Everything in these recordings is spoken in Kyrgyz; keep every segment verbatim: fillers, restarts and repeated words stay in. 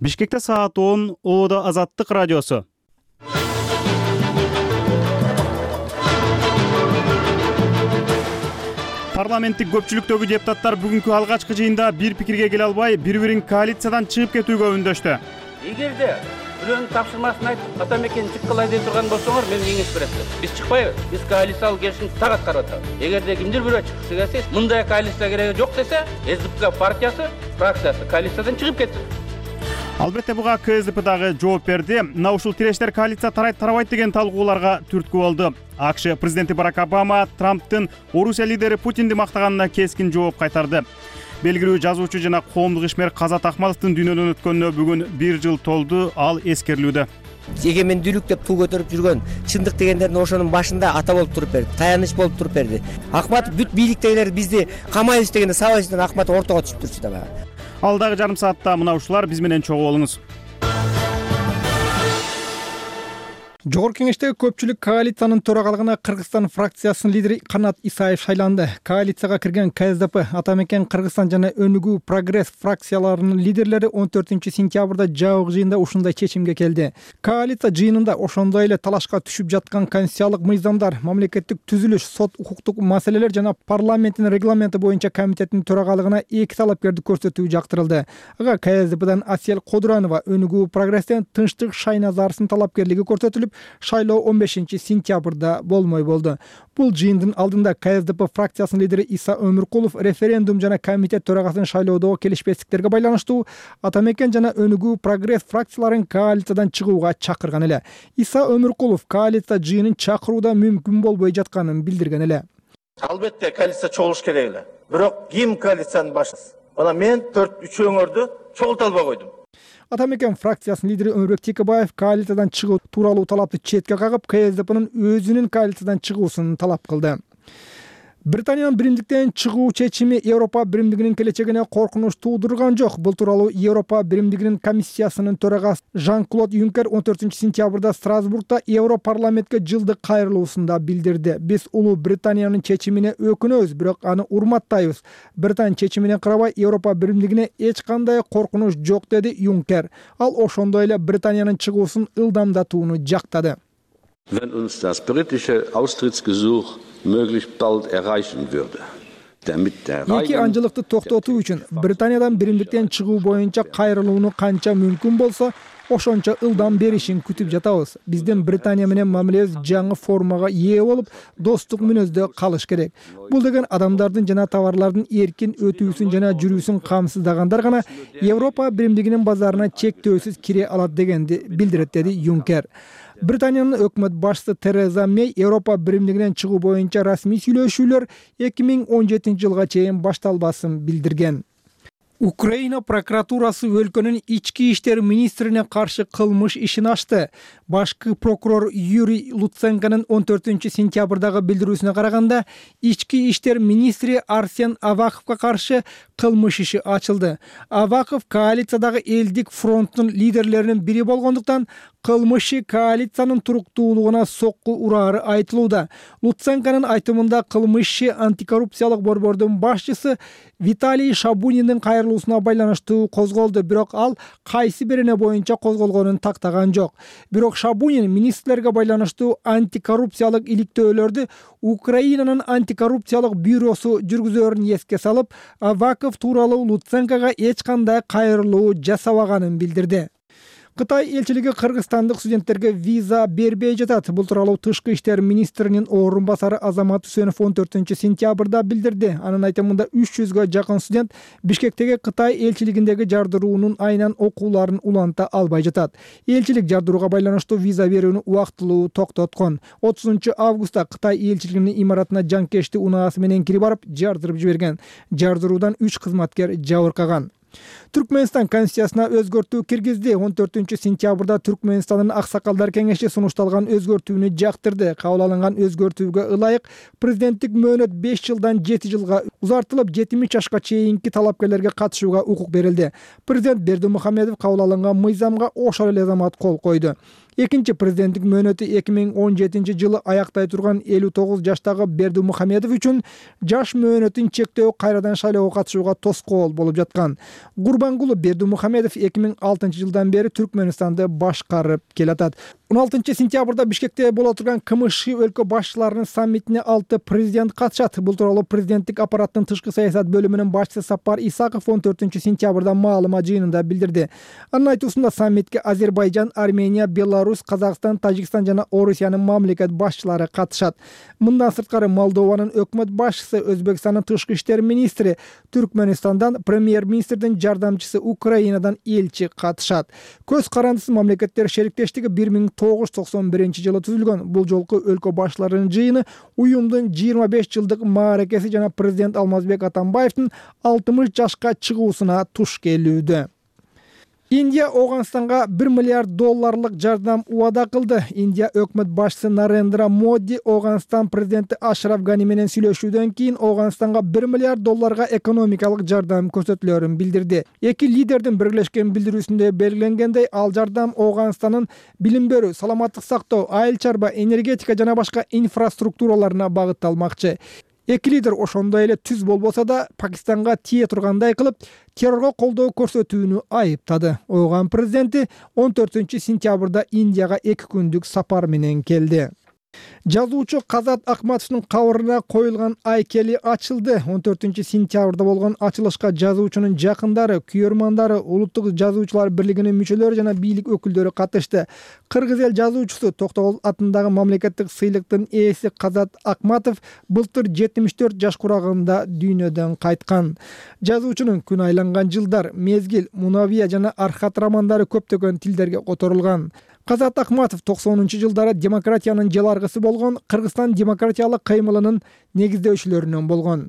Бишкекте саат он, Оодо Азаттык радиосу. Парламенттик көпчүлүктөгү депутаттар бүгүнкү алгачкы жыйында бир пикирге келе албай, бири-бирин коалициядан чыгып кетүүгө үндөштү. Эгерде бирөөнүн тапшырмасын айтып, ата мекени чыккылай деп турган болсоңор, мен кеңеш берем. Биз чыкпайбыз. Биз коалициялык келишимди так аткарып атабыз. Эгерде кимдир бирөө чыккысы келсе, мындай коалиция кереги жок десе, СДП партиясы, фракциясы коалициядан чыгып кетсин. Албетте буга КСДП дагы жооп берди. Мына ушул тирештер коалиция тарайт тарабайт деген талкууларга түрткү болду. АКШ президенти Барак Обама Трамптын Орусия лидери Путинди мактаганына кескин жооп кайтарды. Белгилүү жазуучу жана коомдук ишмер Казат Акматовдун дүйнөдөн өткөнүнө бүгүн бир жыл толду. Ал эскерилүүдө. Эгемендүүлүк деп туу көтөрүп жүргөн чындык дегендердин ошонун башында ата болуп туруп берди, таяныч болуп туруп берди. Акматов бүт бийликтегилер бизди камайбыз дегенде сабайсыздан Акматов ортого түшүп турчу да. Ал дагы жарым саатта мына ушулар биз менен чогуу болуңуз. Жогорку кеңештеги көпчүлүк коалициянын төрагалыгына Кыргызстан фракциясынын лидери Канат Исаев шайланды. Коалицияга кирген КСДП, Ата мекен Кыргызстан жана Өнүгүү Прогресс фракцияларынын лидерлери он төртүнчү сентябрда жабык жыйында ушундай чечимге келди. Коалиция жыйынында ошондой эле талашка түшүп жаткан конституциялык мыйзамдар, мамлекеттик түзүлүш, сот укуктук маселелер жана парламенттин регламенти боюнча комитеттин төрагалыгына эки талапкерди көрсөтүү жактырылды. Ага КСДПдан Асель Кодуранова, Өнүгүү Прогресстен Тынчтык Шайназарсынын талапкерлиги көрсөтүлүп, шайлоо он бешинчи сентябрда болмой болду. Бул жыйындын алдында КСДП фракциясынын лидери Иса Өмүркулов референдум жана комитет төрагасынын шайлоодогу келишпестиктерге байланыштуу Ата мекен жана Өнүгүү Прогресс фракцияларын коалициядан чыгууга чакырган эле. Иса Өмүркулов коалиция жыйынын чакырууда мүмкүн болбой жатканын билдирген эле. Албетте коалиция чогулуш керек эле. Бирок ким коалициянын башчысы? Мына мен төрт үч өңөрдү чогулта албай койдум. Ата мекен фракциясынын лидери Өмүрбек Текебаев коалициядан чыгуу тууралуу талапты четке кагып, КСДПнын өзүнүн коалициядан чыгуусун талап кылды. Британиянын биримдиктен чыгуу чечими Европа биримдигинин келечегине коркунуч туудурган жок. Бул тууралуу Европа биримдигинин комиссиясынын төрагасы Жан-Клод Юнкер он төртүнчү сентябрда Страсбургда Европарламентке жылдык кайрылуусунда билдирди. Биз Улуу Британиянын чечимине өкүнөбүз, бирок аны урматтайбыз. Британия чечимине карабай Европа биримдигине эч кандай коркунуч жок, деди Юнкер. Ал ошондой эле Британиянын чыгуусун ылдамдатууну жактады. Wenn uns das britische Austrittsgesuch möglichst bald erreichen würde. Эки анжылыкты токтотуу үчүн Британиядан биримдиктен чыгуу боюнча кайрылууну канча мүмкүн болсо, ошончо ылдам беришин күтүп жатабыз. Биздин Британия менен мамилебиз жаңы формага ээ болуп, достук мүнөздө калыш керек. Бул деген адамдардын жана товарлардын эркин өтүүсүн жана жүрүүсүн камсыздагандар гана Европа биримдигинин базарына чектөөсүз кире алат дегенди билдирет, деди Юнкер. Британиянын өкмөт башчысы Тереза Мей Европа биримдигинен чыгуу боюнча расмий сүйлөшүүлөр эки миң он жетинчи жылга чейин башталбасын билдирген. Украина прокуратурасы өлкөнүн ички иштер министрине каршы кылмыш ишин ачты. Башкы прокурор Юрий Луценконун он төртүнчү сентябрдагы билдирүүсүнө караганда, ички иштер министри Арсен Аваковго каршы кылмыш иши ачылды. Аваков коалициядагы элдик фронттун лидерлеринин бири болгондуктан, кылмышы коалициянын туруктуулугуна сокку урары айтылууда. Луценконун айтымында кылмышы антикоррупциялык борбордун башчысы Виталий Шабуниндин кайрылуусуна байланыштуу козголду, бирок ал кайсы бирине боюнча козголгонун тактаган жок. Бирок Шабунин министрлерге байланыштуу антикоррупциялык иликтөөлөрдү Украинанын антикоррупциялык бюросу жүргүзөрүн эске салып, Аваков тууралуу Луценкого эч кандай кайрылуу жасабаганын билдирди. Кытай элчилиги кыргызстандык студенттерге виза бербей жатат. Бул тууралуу Тышкы иштер министринин орун басары Азамат Үсөнов он төртүнчү сентябрда билдирди. Анын айтымында үч жүзгө жакын студент Бишкектеги Кытай элчилигиндеги жардыруунун айынан окууларын уланта албай жатат. Элчилик жардырууга байланыштуу виза берүүнү убактылуу токтоткон. отузунчу августта Кытай элчилигинин имаратына жанкечти унаасы менен кирип барып, жардырып жиберген. Жардыруудан үч кызматкер жабыркаган. Түркменстан конституциясына өзгөртүү киргизди. он төртүнчү сентябрда Түркменстандын аксакалдар кеңеши сунушталган өзгөртүүнү жактырды. Кабыл алынган өзгөртүүгө ылайык президенттик мөөнөт беш жылдан жети жылга узартылып, жетимиш жашка чейинки талапкерлерге катышууга укук берилди. Президент Бердимухамедов кабыл алынган мыйзамга ошол эле замат кол койду. Экинчи президенттик мөөнөтү эки миң он жетинчи жылы аяктай турган элүү тогуз жаштагы Бердимухамедов үчүн жаш мөөнөтүн чектөө кайрадан шайлоого катышууга тоскоол болуп жаткан. Гурбангулы Бердимухамедов эки миң алтынчы жылдан бери Түркмөнстанды башкарып келатат. он алтынчы сентябрда Бишкекте боло турган КМШ өлкө башчыларынын саммитине алты президент катышат. Бул тууралуу президенттик аппараттын тышкы саясат бөлүмүнүн башчысы Сапар Исаков он төртүнчү сентябрда маалымат жыйынында билдирди. Анын айтуусунда саммитке Азербайжан, Армения, Беларусь, Казакстан, Тажикстан жана Орусиянын мамлекет башчылары катышат. Мындан сырткары Молдованын өкмөт башчысы, Өзбекстандын тышкы иштер министри, Түркмөнстандан премьер-министрдин жардамчысы, Украинадан элчи катышат. Көз карандысыз мамлекеттер шериктештиги бир миң тогуз жүз токсон биринчи жылы түзүлгөн. Бул жолку өлкө башчыларынын жыйыны уюмдун жыйырма беш жылдык мааракеси жана президент Алмазбек Атамбаевдин алтымыш жашка чыгуусуна туш келүүдө. Индия Оганстанга бир миллиард долларлык жардам убада кылды. Индия өкмөт башчысы Нарендра Моди Оганстан президенти Ашраф Гани менен сүйлөшүүдөн кийин Оганстанга бир миллиард долларга экономикалык жардам көрсөтүлөрүн билдирди. Эки лидердин биргелешкен билдирүүсүндө белгиленгендей, ал жардам Оганстандын билим берүү, саламаттык сактоо, айыл чарба, энергетика жана башка инфраструктураларына багытталмакчы. Эки лидер ошондой эле түз болбосо да Пакистанга тие тургандай кылып, террорго колдоо көрсөтүүнү айыптады. Ооган президенти он төртүнчү сентябрда Индияга эки күндүк сапар менен келди. Жазуучу Казат Акматовдун кабырына коюлган айкели ачылды. он төртүнчү сентябрда болгон ачылышка жазуучунун жакындары, күйөрмандары, Улуттук жазуучулар бирлигинин мүчөлөрү жана бийлик өкүлдөрү катышты. Кыргыз эл жазуучусу Токтогул атындагы мамлекеттик сыйлыктын ээси Казат Акматов былтыр жетимиш төрт жаш курагында дүйнөдөн кайткан. Жазуучунун күн айланган жылдар, мезгил, Мунавия жана Архат романдары көптөгөн тилдерге которулган. Казат Акматов токсонунчу жылдары демократиянын желаргысы болгон, Кыргызстан демократиялык кыймылынын негиздөөчүлөрүнөн болгон.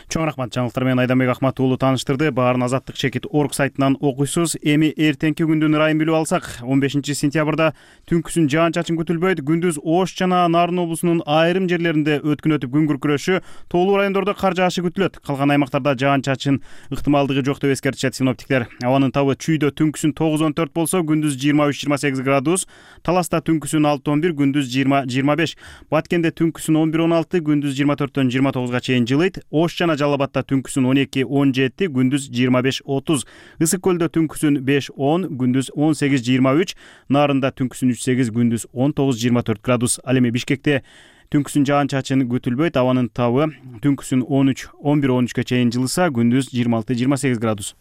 Чоң рахмат, жаңылыктар менен Айданбек Ахмат уулу тааныштырды. Баарын азаттык чекит орг сайтынан окуйсуз. Эми эртеңки күндүн ырайын билип алсак, он бешинчи сентябрда түнкүсүн жаан-чачын күтүлбөйт. Күндүз Ош жана Нарын облусунун айрым жерлеринде өткүн өтүп күн күркүрөшү, тоолуу райондордо кар жаашы күтүлөт. Калган аймактарда жаан-чачын ыктымалдыгы жок деп эскертишет синоптиктер. Абанын табы Чүйдө түнкүсүн тогуз он төрт болсо, күндүз жыйырма үч жыйырма сегиз градус, Таласта түнкүсүн алты он бир, күндүз жыйырма жыйырма беш, Баткенде түнкүсүн он бир он алты, күндүз жыйырма төрттөн жыйырма тогузга чейин жылыйт. Ош жана Жалал-Абадта түнкүсүн он эки он жети, күндүз жыйырма беш отуз, Ысык көлдө түнкүсүн беш он, күндүз он сегиз жыйырма үч, Нарында түнкүсүн үч сегиз, күндүз он тогуз жыйырма төрт градус. Ал эми Бишкекте түнкүсүн жаан-чачын күтүлбөйт. Абанын табы түнкүсүн он үч он бир он үчкө чейин жылыса, күндүз жыйырма алты жыйырма сегиз градус.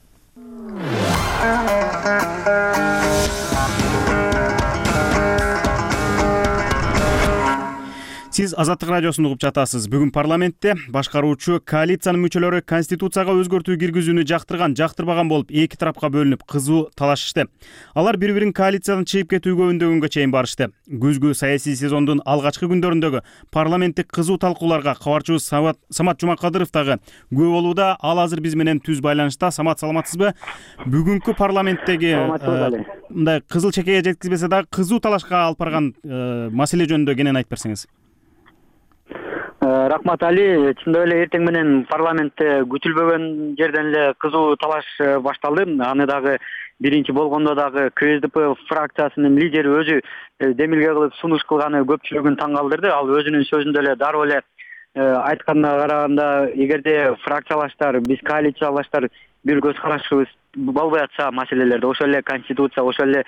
Сиз Азаттык радиосун угуп жатасыз. Бүгүн парламентте башкаруучу коалициянын мүчөлөрү конституцияга өзгөртүү киргизүүнү жактырган, жактырбаган болуп эки тарапка бөлүнүп кызуу талашышты. Алар бири-бирин коалициядан чыгып кетүүгө үндөгөнгө чейин барышты. Күзгү саясий сезондун алгачкы күндөрүндөгү парламенттик кызуу талкууларга кабарчыбыз Самат Жумакадыров дагы күбө болууда. Ал азыр биз менен түз байланышта. Самат, саламатсызбы? Бүгүнкү парламенттеги мындай кызыл чекеге жеткизбесе дагы кызуу талашка алып барган маселе жөнүндө кенен айтып берсеңиз. Рахмат Али, чындап эле эртең менен парламентте күтүлбөгөн жерден эле кызуу талаш башталды. Аны дагы биринчи болгондо дагы КСДП фракциясынын лидери өзү демилге кылып сунуш кылганы көпчүлүгүн таң калтырды. Ал өзүнүн сөзүндө эле дароо эле айтканына караганда, эгерде фракциялаштар, биз коалициялаштар бир көз карашыбыз болбой атса маселелерде, ошол эле конституция, ошол эле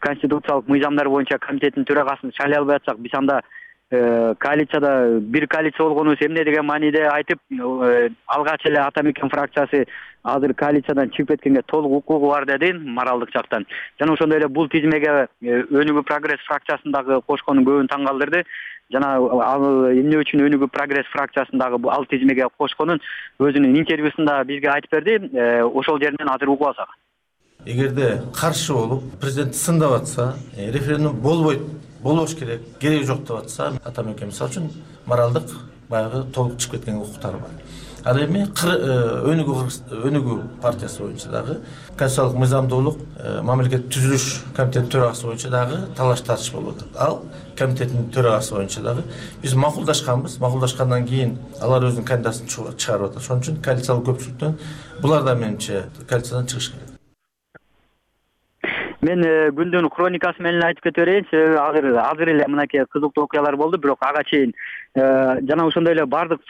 конституциялык мыйзамдар боюнча комитеттин төрагасын шайлай албай атсак, биз анда коалицияда бир коалиция болгонубуз эмне деген мааниде айтып, алгач эле Ата Мекен фракциясы азыр коалициядан чыгып кеткенге толук укугу бар деди моралдык жактан. Жана ошондой эле бул тизмеге Өнүгүү прогресс фракциясындагы кошкону көбүн таң калтырды. Жана ал эмне үчүн Өнүгүү прогресс фракциясындагы ал тизмеге кошконун өзүнүн интервьюсунда бизге айтып берди. Ошол жеринен азыр угуп алсак. Эгерде каршы болуп президент сындап атса, референдум болбойт, болбош керек, кереги жок деп атса, Ата Мекен мисалы үчүн моралдык баягы толук чыгып кеткен укуктары бар. Ал эми Өнүгүү партиясы боюнча дагы конституциялык мыйзамдуулук, мамлекет түзүлүш комитети төрагасы боюнча дагы талаш тартыш болуп атат. Ал комитеттин төрагасы боюнча дагы биз макулдашканбыз. Макулдашкандан кийин алар өзүнүн кандидатын чыгарып атат. Ошон үчүн коалициялык көпчүлүктөн булар да менимче коалициядан чыгыш керек. Мен күндүн хроникасы менен айтып кете берейин. Себеби азыр азыр эле мынакей кызыктуу окуялар болду, бирок ага чейин жана ошондой эле бардык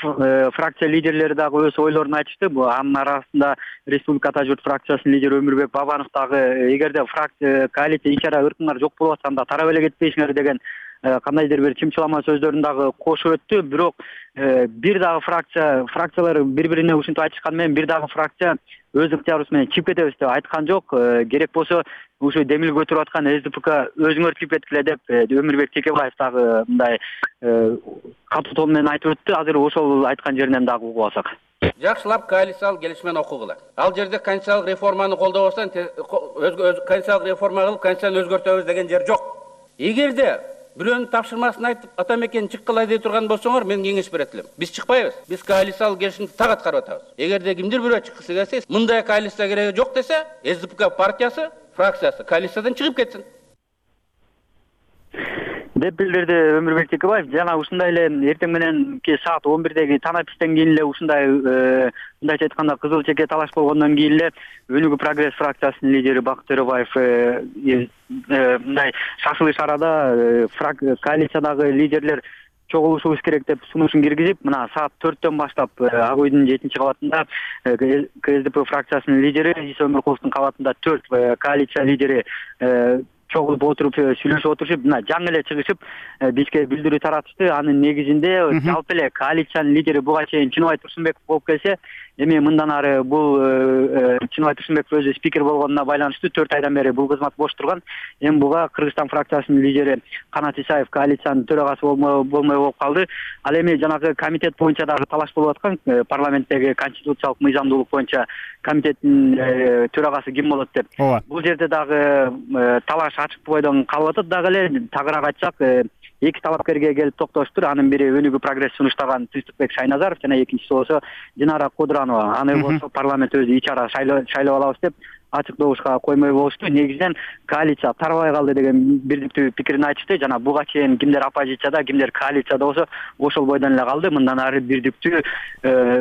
фракция лидерлери дагы өз ойлорун айтышты. Бул анын арасында Республика Ата журт фракциясынын лидери Өмүрбек Бабанов дагы эгерде фракция коалиция ичара ыркыңар жок болуп атса анда тарап эле кетпейсиңер деген кандайдыр бир чымчылама сөздөрүн дагы кошуп өттү. Бирок бир дагы фракция фракциялар бири-бирине ушинтип айтышкан менен бир дагы фракция өз ыктыярыбыз менен чыгып кетебиз деп айткан жок. Керек болсо ушу демил көтөрүп аткан эс ди пэ ка өзүңөр чыгып кеткиле деп Өмүрбек Текебаев дагы мындай катуу тон менен айтып өттү. Азыр ошол айткан жеринен дагы угуп алсак. Жакшылап коалициялык келишимин окугула. Ал жерде конституциялык реформаны колдобосоң, өз конституциялык реформа кылып конституцияны өзгөртөбүз деген жер жок. Эгерде бирөөнүн тапшырмасын айтып ата мекени чыккыла дей турган болсоңор, мен кеңеш берет элем. Биз чыкпайбыз. Биз коалициялык келишимди так аткарып атабыз. Эгерде кимдир бирөө чыккысы келсе, мындай коалиция кереги жок десе, эс ди пэ ка партиясы, фракциясы коалициядан чыгып кетсин деп билдирди Өмүрбек Текебаев. Жана ушундай эле эртең мененки саат он бирдеги танапистен кийин эле ушундай мындайча айтканда кызыл чеке талаш болгондон кийин эле Өнүгүү прогресс фракциясынын лидери Бакыт Төрөбаев мындай шашылыш арада коалициядагы лидерлер чогулушубуз керек деп сунушун киргизип, мына саат төрттөн баштап Ак үйдүн жетинчи кабатында ка эс дэ пэ фракциясынын лидери Иса Өмүркуловдун кабатында төрт коалиция лидери чогулуп отуруп сүйлөшүп отурушуп, мына жаңы эле чыгышып бизге билдирүү таратышты. Анын негизинде жалпы эле коалициянын лидери буга чейин Чыныбай Турсунбеков болуп келсе, эми мындан ары бул Чыныбай Турсунбеков өзү спикер болгонуна байланыштуу төрт айдан бери бул кызмат бош турган. Эми буга Кыргызстан фракциясынын лидери Канат Исаев коалициянын төрагасы болмой болуп калды. Ал эми жанагы комитет боюнча дагы талаш болуп аткан, парламенттеги конституциялык мыйзамдуулук боюнча комитеттин төрагасы ким болот деп. Бул жерде дагы талаш ачык бойдон калып атат. Дагы эле тагыраак айтсак, эки талапкерге келип токтошуптур. Анын бири Өнүгүү прогресс сунуштаган Тынчтыкбек Шайназаров жана экинчиси болсо Динара Кудуранова. Аны болсо парламент өзү ичара шайлап алабыз деп ачык добушка коймой болушту. Негизинен коалиция тарабай калды деген бирдиктүү пикирин айтышты. Жана буга чейин кимдер оппозицияда, кимдер коалицияда болсо ошол бойдон эле калды. Мындан ары бирдиктүү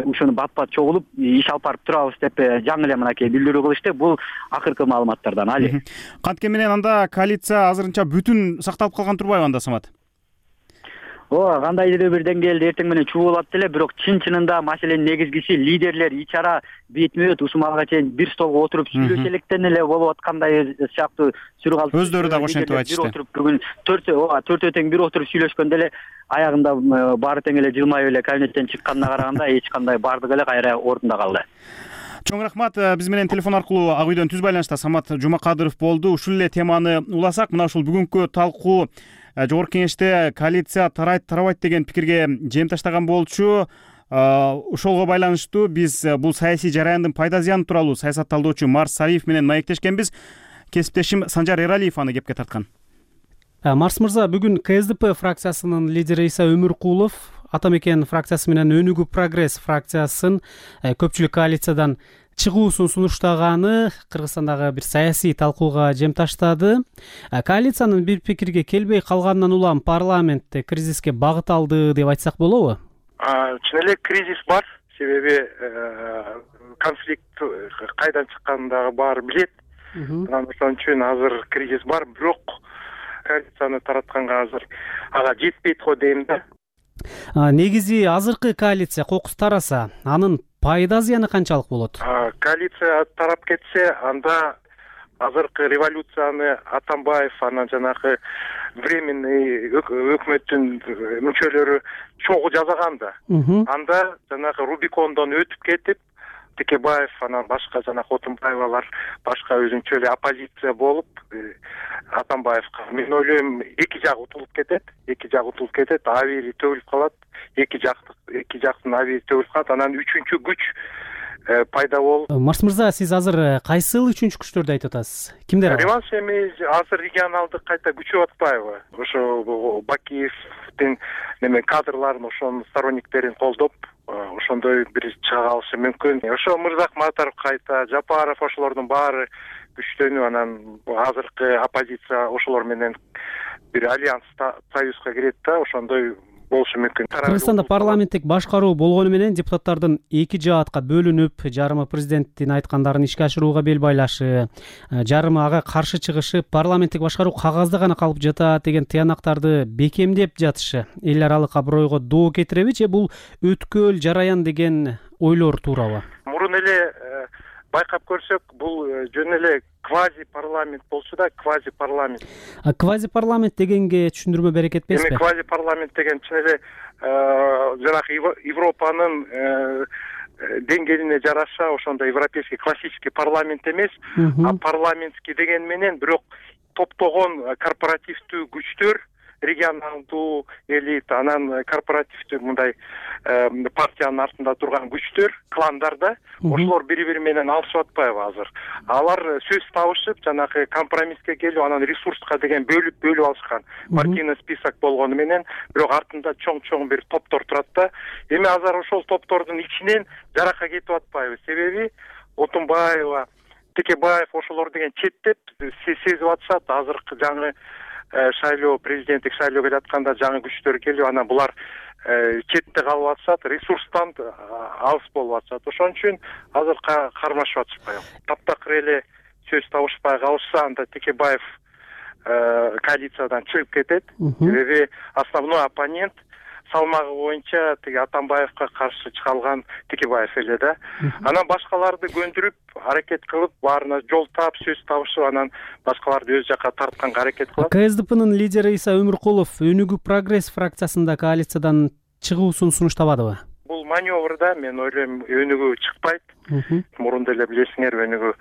ушуну бат-бат чогулуп иш алып барып турабыз деп жаңы эле мынакей билдирүү кылышты. Бул акыркы маалыматтардан. Али. Кантке менен анда коалиция азырынча бүтүн сакталып калган турбайбы анда, Самат? Ооба, кандайдыр бир деңгээлде эртең менен чугулат эле, бирок чын-чынында маселенин негизгиси лидерлер ичара бетме-бет ушул малга чейин бир столго отуруп сүйлөшө электен эле болуп аткандай сыяктуу сүрү калды. Өздөрү дагы ошентип айтышты. Бүгүн төрт ооба төртөө тең бир отуруп сүйлөшкөндө эле аягында баары тең эле жылмайып эле кабинеттен чыкканына караганда эч кандай бардыгы эле кайра ордунда калды. Чоң рахмат. Биз менен телефон аркылуу Ак үйдөн түз байланышта Самат Жумакадыров болду. Ушул эле теманы уласак, мына ушул бүгүнкү талкуу Жогорку кеңеште коалиция тарайт тарабайт деген пикирге жем таштаган болчу. Ошолго байланыштуу биз бул саясий жараяндын пайда зыяны тууралуу саясат талдоочу Марс Сариев менен маектешкенбиз. Кесиптешим Санжар Эралиев аны кепке тарткан. Марс мырза, бүгүн ка эс дэ пэ фракциясынын лидери Иса Өмүркулов Ата мекен фракциясы менен Өнүгүү прогресс фракциясын көпчүлүк коалициядан чыгуусун сунуштаганы Кыргызстандагы бир саясий талкууга жем таштады. Коалициянын бир пикирге келбей калганынан улам парламентте кризиске багыт алды деп айтсак болобу? Чын эле кризис бар, себеби конфликт кайдан чыкканын дагы баары билет. Ошон үчүн азыр кризис бар, бирок коалицияны таратканга азыр ага жетпейт го дейм да. Негизи азыркы коалиция кокус тараса, анын пайда зыяны канчалык болот? Коалиция тарап кетсе, анда азыркы революцияны Атамбаев анан жанагы временный өкмөттүн мүчөлөрү чогуу жасаган да. Анда жанагы Рубикондон өтүп кетип, Текебаев анан башка жанагы Отунбаевалар башка өзүнчө эле оппозиция болуп Атамбаевка мен ойлойм эки жак утулуп кетет, эки жак утулуп кетет, абийири төгүлүп калат, эки жактык эки жактын абийири төгүлүп калат, анан үчүнчү күч пайда болуп. Марс мырза, сиз азыр кайсыл үчүнчү күчтөрдү айтып атасыз? Кимдер ал? Реванш эми азыр регионалдык кайта күчөп атпайбы? Ошо Бакиевдин неме кадрларын, ошонун сторонниктерин колдоп, ошондой бир чыга калышы мүмкүн. Ошо Мырзахматов кайта, Жапаров ошолордун баары күчтөнүп, анан азыркы оппозиция ошолор менен бир альянс союзга кирет да, ошондой болушу мүмкүн. Кыргызстанда парламенттик башкаруу болгону менен депутаттардын эки жаатка бөлүнүп, жарымы президенттин айткандарын ишке ашырууга бел байлашы, жарымы ага каршы чыгышы, парламенттик башкаруу кагазда гана калып жатат деген тыянактарды бекемдеп жатышы эл аралык абройго доо кетиреби же бул өткөл жараян деген ойлор туурабы? Мурун эле байкап көрсөк, бул жөн эле квази парламент болчу да, квази парламент. А квази парламент дегенге түшүндүрмө берек этпесизби? Эми квази парламент деген чын эле жанагы Европанын деңгээлине жараша ошондой европейский классический парламент эмес, а парламентский деген менен бирок топтогон корпоративдүү күчтөр, регионалдуу элита, анан корпоративдүү мындай партиянын артында турган күчтөр, кландар да, ошолор бири-бири менен алышып атпайбы азыр? Алар сөз табышып, жанагы компромисске келип, анан ресурска деген бөлүп бөлүп алышкан. Партийный список болгону менен, бирок артында чоң-чоң бир топтор турат да. Эми азыр ошол топтордун ичинен жарака кетип атпайбы? Себеби Отунбаева, Текебаев ошолор деген четтеп сезип атышат. Азыркы жаңы шайлоо, президенттик шайлоо келе атканда жаңы күчтөр келип, анан булар четте калып атышат, ресурстан алыс болуп атышат. Ошон үчүн азыр кармашып атышпайбы. Таптакыр эле сөз табышпай калышса, анда Текебаев коалициядан чыгып кетет. Себеби основной оппонент салмагы боюнча тиги Атамбаевка каршы чыга алган Текебаев эле да. Анан башкаларды көндүрүп, аракет кылып, баарына жол таап, сөз табышып, анан башкаларды өз жакка тартканга аракет кылат. КСДПнын лидери Иса Өмүркулов Өнүгүү прогресс фракциясында коалициядан чыгуусун сунуштабадыбы? Бул маневрда мен ойлойм Өнүгүү чыкпайт. Мурун деле билесиңер, Өнүгүү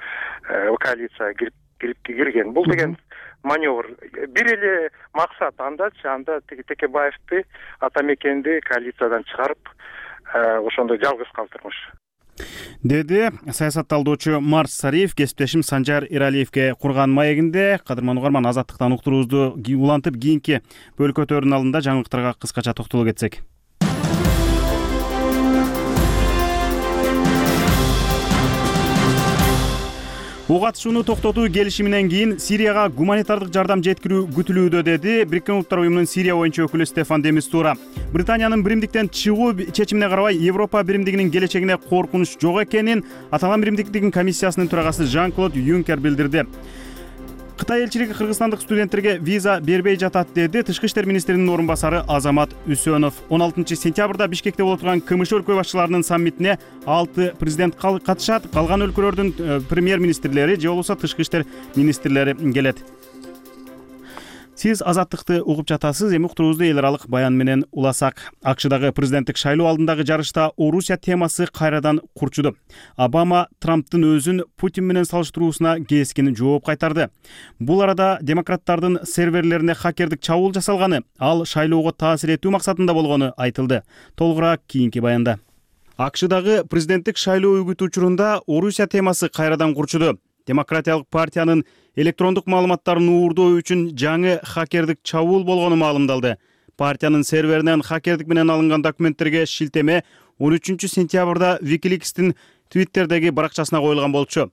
коалицияга кирип кирип кирген. Бул деген маневр. Бир эле максат андачы, анда Текебаевди, Атамекенди коалициядан чыгарып, ошондо жалгыз калтырмыш. Деди саясатталдоочу Марс Сариев кесиптешим Санжар Эралиевге курган маегинде. Кадырман угарман, азаттыктан уктуруубузду улантып, кийинки бөлкөтөрдүн алдында жаңылыктарга кыскача токтолуп кетсек. Ок атышууну токтотуу келишиминен кийин Сирияга гуманитардык жардам жеткирүү күтүлүүдө, деди Бириккен Улуттар уюмунун Сирия боюнча өкүлү Стефан де Мистура. Британиянын биримдиктен чыгуу чечимине карабай Европа биримдигинин келечегине коркунуч жок экенин аталган биримдиктин комиссиясынын төрагасы Жан-Клод Юнкер билдирди. Кытай элчилиги кыргызстандык студенттерге виза бербей жатат, деди Тышкы иштер министринин орун басары Азамат Үсөнов. он алтынчы сентябрда Бишкекте боло турган КМШ өлкө башчыларынын саммитине алты президент катышат. Калган өлкөлөрдүн премьер-министрлери же болбосо тышкы иштер министрлери келет. Сиз азаттыкты угуп жатасыз. Эми уктуруубузду эл аралык баян менен уласак. АКШдагы президенттик шайлоо алдындагы жарышта Орусия темасы кайрадан курчуду. Обама Трамптын өзүн Путин менен салыштыруусуна кескин жооп кайтарды. Бул арада демократтардын серверлерине хакердик чабуул жасалганы, ал шайлоого таасир этүү максатында болгону айтылды. Толугураак кийинки баянда. АКШдагы президенттик шайлоо үгүтү учурунда Орусия темасы кайрадан курчуду. Демократиялык партиянын электрондук маалыматтарын уурдоо үчүн жаңы хакердик чабуул болгону маалымдалды. Партиянын серверинен хакердик менен алынган документтерге шилтеме он үчүнчү сентябрда Wikileaks'тин Twitter'деги баракчасына коюлган болчу.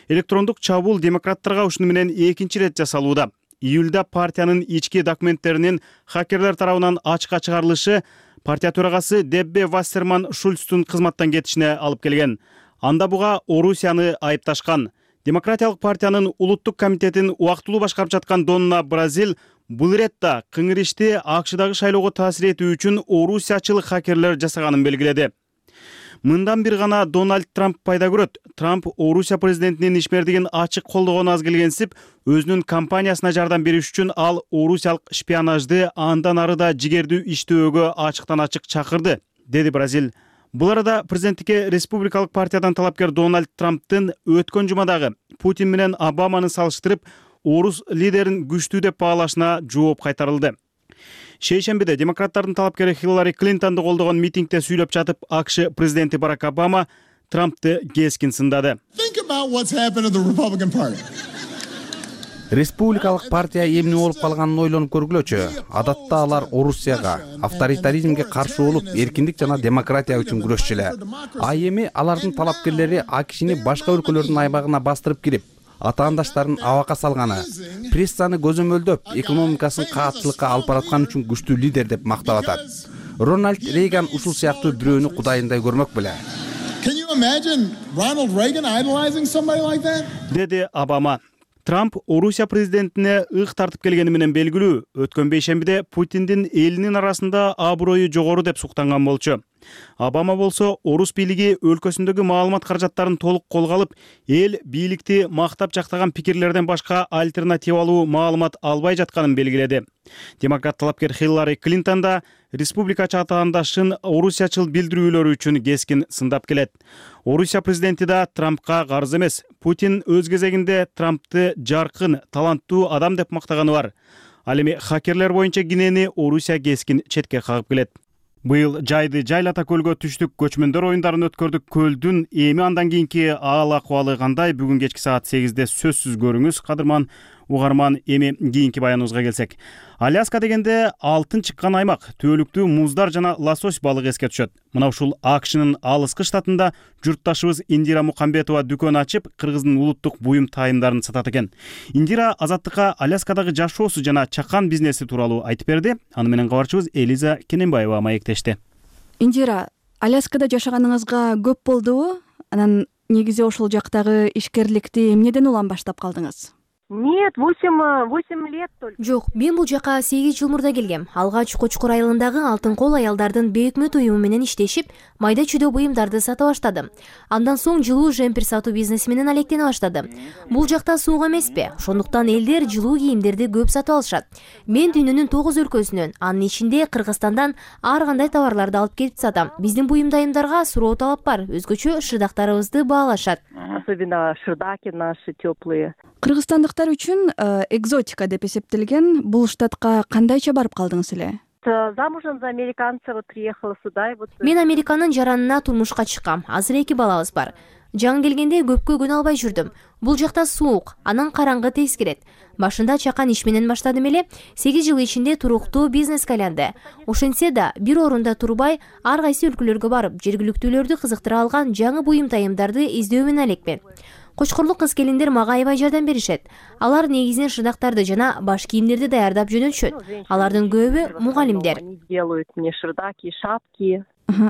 Электрондук чабуул демократтарга ушуну менен экинчи ирет жасалууда. Июлда партиянын ички документтеринин хакерлер тарабынан ачыкка чыгарылышы партия төрагасы Деббе Вассерман Шульцтун кызматтан кетишине алып келген. Анда буга Орусияны айыпташкан. Демократиялык партиянын улуттук комитетин убактылуу башкарып жаткан Донна Бразил бул иретте кыңыр ишти АКШдагы шайлоого таасир этүү үчүн орусиячыл хакерлер жасаганын белгиледи. Мындан бир гана Дональд Трамп пайда көрөт. Трамп Орусия президентинин ишмердигин ачык колдогону аз келгенсип, өзүнүн компаниясына жардам бериш үчүн ал орусиялык шпионажды андан ары да жигердүү иштөөгө ачыктан ачык чакырды, деди Бразил. Бул арада президенттикке республикалык партиядан талапкер Дональд Трамптын өткөн жумадагы Путин менен Обаманы салыштырып, орус лидерин күчтүү деп баалашына жооп кайтарылды. Шейшембиде демократтардын талапкери Хиллари Клинтонду колдогон митингде сүйлөп жатып, АКШ президенти Барак Обама Трампты кескин сындады. Республикалык партия эмне болуп калганын ойлонуп көргүлөчү. Адатта алар Орусияга, авторитаризмге каршы болуп, эркиндик жана демократия үчүн күрөшчү эле. А эми алардын талапкерлери АКШны башка өлкөлөрдүн айбагына бастырып кирип, атаандаштарын абакка салганы, прессаны көзөмөлдөп, экономикасын каатчылыкка алып бараткан үчүн күчтүү лидер деп мактап атат. Рональд Рейган ушул сыяктуу бирөөнү кудайындай көрмөк беле. Can you imagine Ronald Reagan idolizing somebody like that? Деди Обама. Трамп Орусия президентине ык тартып келгени менен белгилүү. Өткөн бейшембиде Путиндин элинин арасында аброю жогору деп суктанган болчу. Обама болсо орус бийлиги өлкөсүндөгү маалымат каражаттарын толук колго алып, эл бийликти мактап жактаган пикирлерден башка альтернативалуу маалымат албай жатканын белгиледи. Демократ талапкер Хиллари Клинтон да республикачы атаандашын орусиячыл билдирүүлөрү үчүн кескин сындап келет. Орусия президенти да Трампка карыз эмес. Путин өз кезегинде Трампты жаркын, таланттуу адам деп мактаганы бар. Ал эми хакерлер боюнча кинени Орусия кескин четке кагып келет. Быйыл жайды Жайлата көлгө түштүк, көчмөндөр оюндарын өткөрдүк. Көлдүн эми андан кийинки аал акыбалы кандай? Бүгүн кечки саат сегизде сөзсүз көрүңүз. Кадырман угарман, эми кийинки баяныбызга келсек. Аляска дегенде алтын чыккан аймак, түбөлүктүү муздар жана лосось балыгы эске түшөт. Мына ушул АКШнын алыскы штатында журтташыбыз Индира Мукамбетова дүкөн ачып, Кыргыздын улуттук буюм тайымдарын сатат экен. Индира Азаттыкка Аляскадагы жашоосу жана чакан бизнеси тууралуу айтып берди. Аны менен кабарчыбыз Элиза Кененбаева маектешти. Индира, Аляскада жашаганыңызга көп болдубу? Анан негизи ошол жактагы ишкерликти эмнеден улам баштап калдыңыз? Нет, восемь лет только. Жок, мен бул жака сегиз жыл мурда келгем. Алгач Кочкор айылындагы Алтын кол аялдардын бейөкмөт уюму менен иштешип, майда чүйдө буюмдарды сата баштадым. Андан соң жылуу жемпир сатуу бизнеси менен алектене баштадым. Бул жакта суук эмеспи? Ошондуктан элдер жылуу кийимдерди көп сатып алышат. Мен дүйнөнүн тогуз өлкөсүнөн, анын ичинде Кыргызстандан ар кандай товарларды алып келип сатам. Биздин буюмдайымдарга суроо талап бар. Өзгөчө шырдактарыбызды баалашат. Особенно шырдаки наши теплые. Кыргызстандыктар үчүн экзотика деп эсептелген бул штатка кандайча барып калдыңыз эле? Замужем за американца, вот приехала сюда и вот. Мен Американын жаранына турмушка чыккам. Азыр эки балабыз бар. Жаңы келгенде көпкө көнө албай жүрдүм. Бул жакта суук, анан караңгы тез кирет. Башында чакан иш менен баштадым эле, сегиз жыл ичинде туруктуу бизнеске айланды. Ошентсе да, бир орунда турбай, ар кайсы өлкөлөргө барып, жергиликтүүлөрдү кызыктыра алган жаңы буюм тайымдарды издөө менен элекмин. Кочкорлук кыз келиндер мага аябай жардам беришет. Алар негизинен шырдактарды жана баш кийимдерди даярдап жөнөтүшөт. Алардын көбү мугалимдер. Делают мне шырдаки, шапки.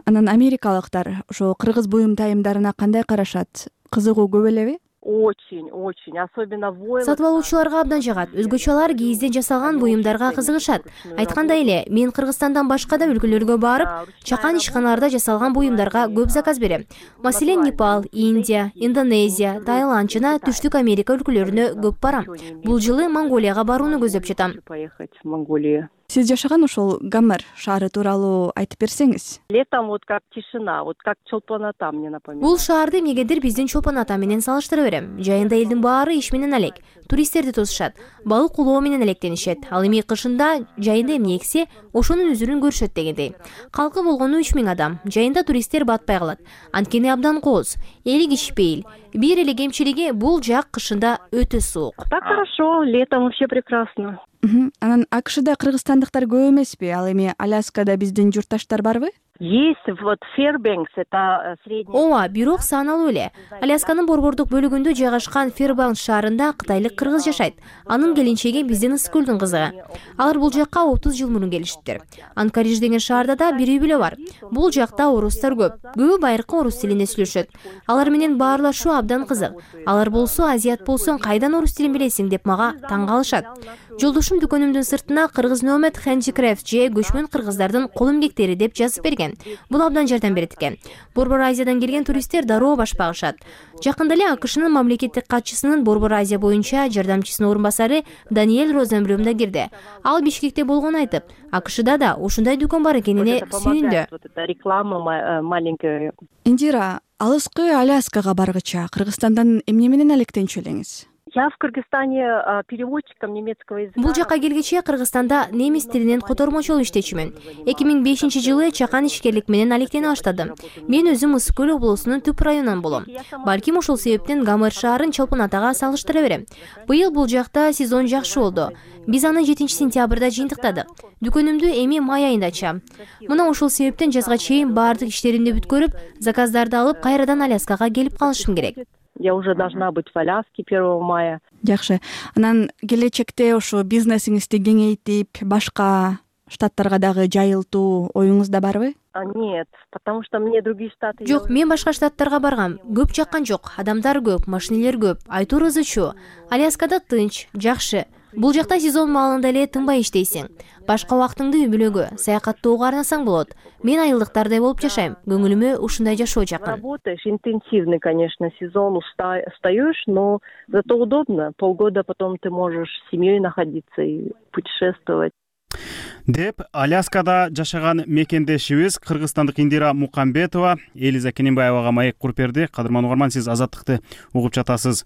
Анан америкалыктар ошо кыргыз буюм тайымдарына кандай карашат? Кызыгуу көп элеби? Очень, очень, особенно войлок. Сатып алуучуларга абдан жагат. Өзгөчө алар кийизден жасалган буюмдарга кызыгышат. Айткандай эле, мен Кыргызстандан башка да өлкөлөргө барып, чакан ишканаларда жасалган буюмдарга көп заказ берем. Маселен, Непал, Индия, Индонезия, Таиланд жана Түштүк Америка өлкөлөрүнө көп барам. Бул жылы Монголияга барууну көздөп жатам. Поехать в Монголию. Сиз жашаган ошол Гамер шаары тууралуу айтып берсеңиз. Летом вот как тишина, вот как Чолпон Ата мне напоминает. Бул шаарды эмнегедир биздин Чолпон Ата менен салыштыра берем. Жайында элдин баары иш менен алек. Туристтерди тосушат. Балык улоо менен алектенишет. Ал эми кышында жайында эмне эксе, ошонун үзүрүн көрүшөт дегендей. Калкы болгону үч миң адам. Жайында туристтер батпай калат. Анткени абдан кооз. Эли кичпейил. Бир эле кемчилиги бул жак кышында өтө суук. Так хорошо, летом вообще прекрасно. Анан АКШда кыргызстандыктар көп эмеспи? Ал эми Аляскада биздин журтташтар барбы? Есть, вот Фэрбэнкс, это средний. Ооба, бирок сааналуу эле. Алясканын борбордук бөлүгүндө жайгашкан Фэрбэнкс шаарында кытайлык кыргыз жашайт. Анын келинчеги биздин Ысыкөлдүн кызы. Алар бул жакка отуз жыл мурун келиштиптир. Анкариж деген шаарда да бир үй бүлө бар. Бул жакта орустар көп. Көбү байыркы орус тилинде сүйлөшөт. Алар менен баарлашуу абдан кызык. Алар болсо азиат болсоң кайдан орус тилин билесиң деп мага таң калышат. Жолдошум дүкөнүмдүн сыртына кыргыз номад handicraft же көчмөн кыргыздардын кол эмгектери деп жазып берген. Бул абдан жардам берет экен. Борбор Азиядан келген туристтер дароо баш багышат. Жакында эле АКШнын мамлекеттик катчысынын Борбор Азия боюнча жардамчысынын орун басары Даниэль Розенблюм да кирди. Ал Бишкекте болгонун айтып, АКШда да ушундай дүкөн бар экенине сүйүндү. Реклама маленькая. Индира, алыскы Аляскага баргыча Кыргызстандан эмне менен алектенчү элеңиз? Я в Кыргызстане переводчиком немецкого языка. Бул жака келгече Кыргызстанда немис тилинен котормочу болуп иштечүмүн. эки миң бешинчи жылы чакан ишкерлик менен алектене баштадым. Мен өзүм Ысык-Көл облусунун түп районунан болом. Балким ошол себептен Гамер шаарын Чолпон Атага салыштыра берем. Быйыл бул жакта сезон жакшы болду. Биз аны жетинчи сентябрда жыйынтыктадык. Дүкөнүмдү эми май айында ачам. Мына ошол себептен жазга чейин баардык иштеримди бүткөрүп, заказдарды алып кайрадан Аляскага келип калышым керек. Я уже должна быть в Аляске первого мая. Жакшы. Анан келечекте ошо бизнесиңизди кеңейтип, башка штаттарга дагы жайылтуу оюңузда барбы? Нет, потому что мне другие штаты... Жок, мен башка штаттарга баргам. Көп жаккан жок. Адамдар көп, машинелер көп. Айтуур ызычуу. Аляскада тынч, жакшы. Бул жакта сезон маалында эле тынбай иштейсиң. Башка убактыңды үй бүлөгө, саякаттоого арнасаң болот. Мен айылдыктардай болуп жашайм. Көңүлүмө ушундай жашоо жакын. Работаешь интенсивный, конечно, сезон, устаешь, но зато удобно. Полгода потом ты можешь с семьей находиться и путешествовать. Деп Аляскада жашаган мекендешибиз кыргызстандык Индира Мукамбетова Элиза Кененбаевага маек куруп берди. Кадырман угарман, сиз Азаттыкты угуп жатасыз.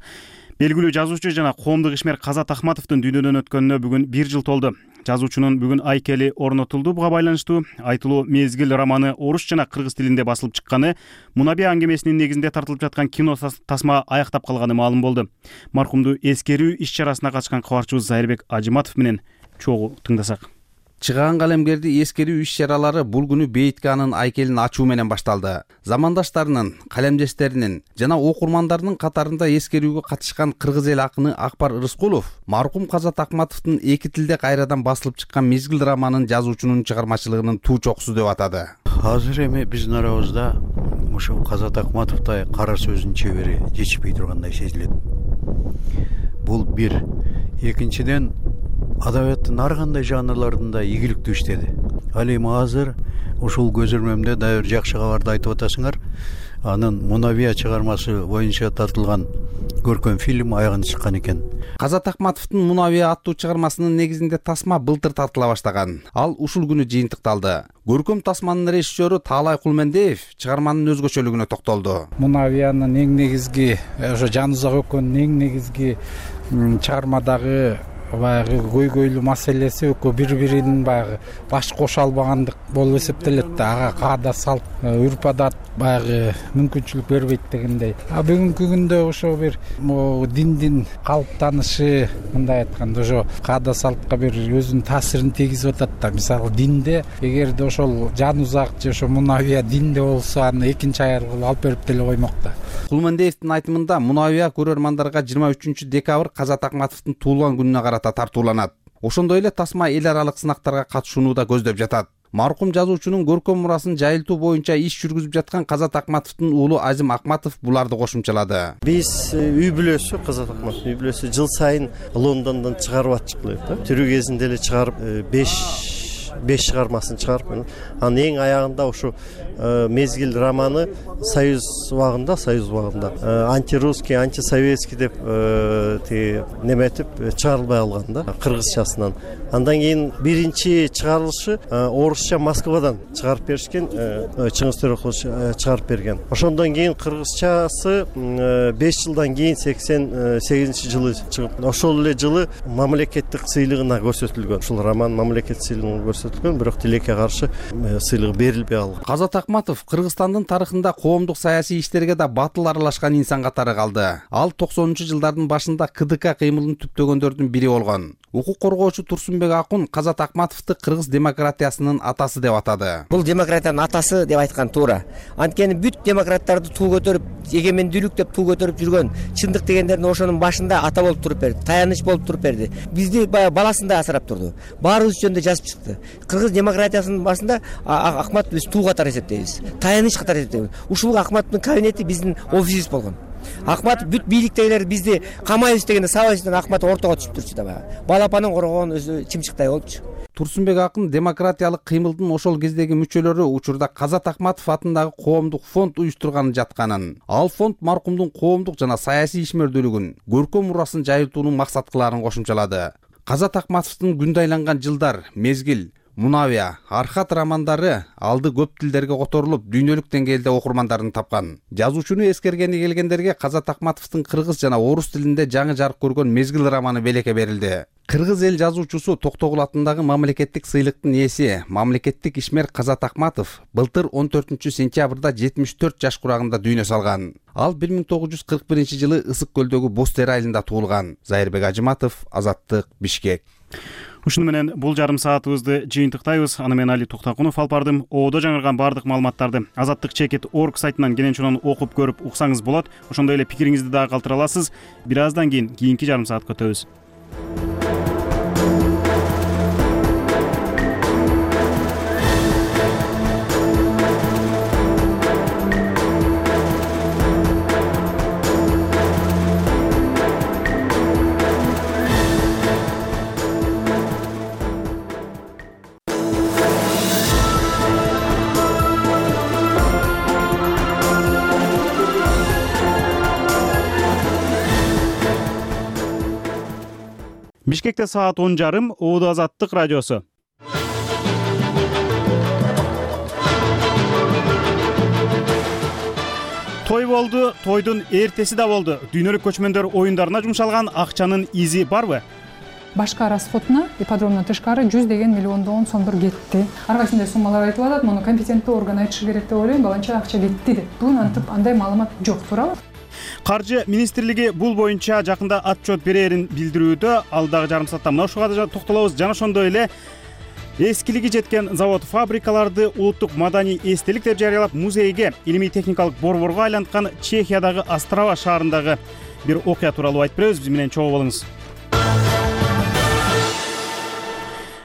Белгилүү жазуучу жана коомдук ишмер Казат Акматовдун дүйнөдөн өткөнүнө бүгүн бир жыл толду. Жазуучунун бүгүн айкели орнотулду. Буга байланыштуу айтылуу Мезгил романы орус жана кыргыз тилинде басылып чыкканы, Мунабия аңгемесинин негизинде тартылып жаткан кино тасма аяктап калганы маалым болду. Маркумду эскерүү иш-чарасына катышкан кабарчыбыз Зайырбек Ажиматов менен чогуу тыңдасак. Чыгаан калемгерди эскерүү иш-чаралары бул күнү Бейитке анын айкелин ачуу менен башталды. Замандаштарынын, калемдештеринин жана окурмандарынын катарында эскерүүгө катышкан кыргыз эл акыны Акбар Рыскулов маркум Казат Акматовдун эки тилде кайрадан басылып чыккан Мезгил романын жазуучунун чыгармачылыгынын туу чокусу деп атады. Азыр эми биздин арабызда ошо Казат Акматовдой кара сөздүн чебери жетишпей тургандай сезилет. Бул бир. Экинчиден, адабияттын ар кандай жанрларында ийгиликтүү иштеди. Ал эми азыр ушул көз ирмемде дагы бир жакшы кабарды айтып атасыңар. Анын Мунабия чыгармасы боюнча тартылган көркөм фильм аягына чыккан экен. Казат Акматовдун Мунабия аттуу чыгармасынын негизинде тасма былтыр тартыла баштаган. Ал ушул күнү жыйынтыкталды. Көркөм тасманын режиссеру Таалай Кулмендеев чыгарманын өзгөчөлүгүнө токтолду. Мунабиянын эң негизги, ошо Жан Узак өкөнүн эң негизги чыгармадагы баягы көйгөйлүү маселеси экөө бири-биринин баягы баш кошо албагандык болуп эсептелет да. Ага каада салт, үрп адат баягы мүмкүнчүлүк бербейт дегендей. А бүгүнкү күндө ошо бир диндин калыптанышы, мындай айтканда, ошо каада салтка бир өзүнүн таасирин тийгизип атат да. Мисалы динде эгерде ошол Жан Узак же ошо Мунабия динде болсо, аны экинчи аяр кылып алып берип деле коймок да. Кулмендеевдин айтымында Мунабия көрөрмандарга жыйырма үчүнчү декабрь Казат Акматовдун туулган күнүнө карата тартууланат. Ошондой эле тасма эл аралык сынактарга катышууну да көздөп жатат. Маркум жазуучунун көркөм мурасын жайылтуу боюнча иш жүргүзүп жаткан Казат Акматовдун уулу Азим Акматов буларды кошумчалады. Биз үй бүлөсү, Казат Акматов үй бүлөсү жыл сайын Лондондон чыгарып атчыклайт. Тирүү кезинде эле чыгарып беш беш чыгармасын чыгарып, анын эң аягында ушу Мезгил романы Союз убагында, Союз убагында антирусский, антисоветский деп тиги неметип чыгарылбай калган да, кыргызчасынан. Андан кийин биринчи чыгарылышы орусча Москвадан чыгарып беришкен, Чыңгыз Төрөкулов чыгарып берген. Ошондон кийин кыргызчасы беш жылдан кийин сексен сегизинчи жылы чыгып, ошол эле жылы мамлекеттик сыйлыгына көрсөтүлгөн. Ушул роман мамлекеттик сыйлыгына көрсөтүлгөн, бирок тилекке каршы сыйлык берилбей калган. Казат Акматов Кыргызстандын тарыхында коомдук саясий иштерге да батыл аралашкан инсан катары калды. Ал токсонунчу жылдардын башында КДК кыймылын түптөгөндөрдүн бири болгон. Укук коргоочу Турсунбек Акун Казат Акматовду кыргыз демократиясынын атасы деп атады. Бул демократиянын атасы деп айткан туура. Анткени бүт демократтарды туу көтөрүп, эгемендүүлүк деп туу көтөрүп жүргөн чындык дегендердин ошонун башында ата болуп туруп берди, таяныч болуп туруп берди. Бизди баягы баласындай асырап турду. Баарыбыз жөнүндө жазып чыкты. Кыргыз демократиясынын башында Акматов биз туу катары эсептейбиз, таяныч катары эсептейбиз. Ушул Акматовдун кабинети биздин офисибиз болгон. Акматов бүт бийликтегилер бизди камайбыз дегенде сабайбыздан Акматов ортого түшүп турчу да баягы. Балапанын коргогон өзү чымчыктай болупчу. Турсунбек Акын демократиялык кыймылдын ошол кездеги мүчөлөрү учурда Казат Акматов атындагы коомдук фонд уюштурган жатканын, ал фонд маркумдун коомдук жана саясий ишмердүүлүгүн, көркөм мурасын жайылтууну максат кыларын кошумчалады. Казат Акматовдун күндө айланган жылдар, Мезгил, Мунабия, Архат романдары алды көп тилдерге которулуп, дүйнөлүк деңгээлде окурмандарын тапкан. Жазуучуну эскергени келгендерге Казат Акматовдун кыргыз жана орус тилинде жаңы жарык көргөн Мезгил романы белекке берилди. Кыргыз эл жазуучусу Токтогул атындагы мамлекеттик сыйлыктын ээси, мамлекеттик ишмер Казат Акматов былтыр он төртүнчү сентябрда жетимиш төрт жаш курагында дүйнө салган. Ал бир миң тогуз жүз кырк биринчи жылы Ысык көлдөгү Бостер айылында туулган. Зайырбек Ажиматов, Азаттык, Бишкек. Ушуну менен бул жарым саатыбызды жыйынтыктайбыз. Аны менен Али Токтакунов алып бардым. Оодо жаңырган бардык маалыматтарды азаттык чекит точка орг сайтынан кенен окуп көрүп уксаңыз болот. Ошондой эле пикириңизди дагы калтыра аласыз. Бир аздан кийин кийинки жарым саатка өтөбүз. Бишкекте саат он жарым. Ооду Азаттык радиосу. Той болду, тойдун эртеси да болду. Дүйнөлүк көчмөндөр оюндарына жумшалган акчанын изи барбы? Башка расходуна ипподромдон тышкары жүздөгөн миллиондон сомдор кетти. Ар кайсындай суммалар айтылып атат, муну компетенттүү орган айтышы керек деп ойлойм. Баланча акча кетти деп. Бүгүн антип андай маалымат жок, туурабы? Каржы министрлиги бул боюнча жакында отчет берерин билдирүүдө. Алдагы жарым саатта мына ушуга да токтолобуз. Жана ошондой эле эскилиги жеткен завод фабрикаларды улуттук маданий эстелик деп жарыялап, музейге, илимий техникалык борборго айланткан Чехиядагы Острава шаарындагы бир окуя тууралуу айтып беребиз. Биз менен чогуу болуңуз.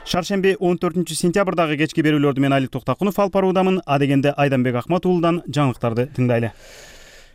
Шаршемби он төртүнчү сентябрдагы кечки берүүлөрдү мен Алик Токтакунов алып баруудамын. Адегенде Айданбек Ахмат уулудан жаңылыктарды тыңдайлы.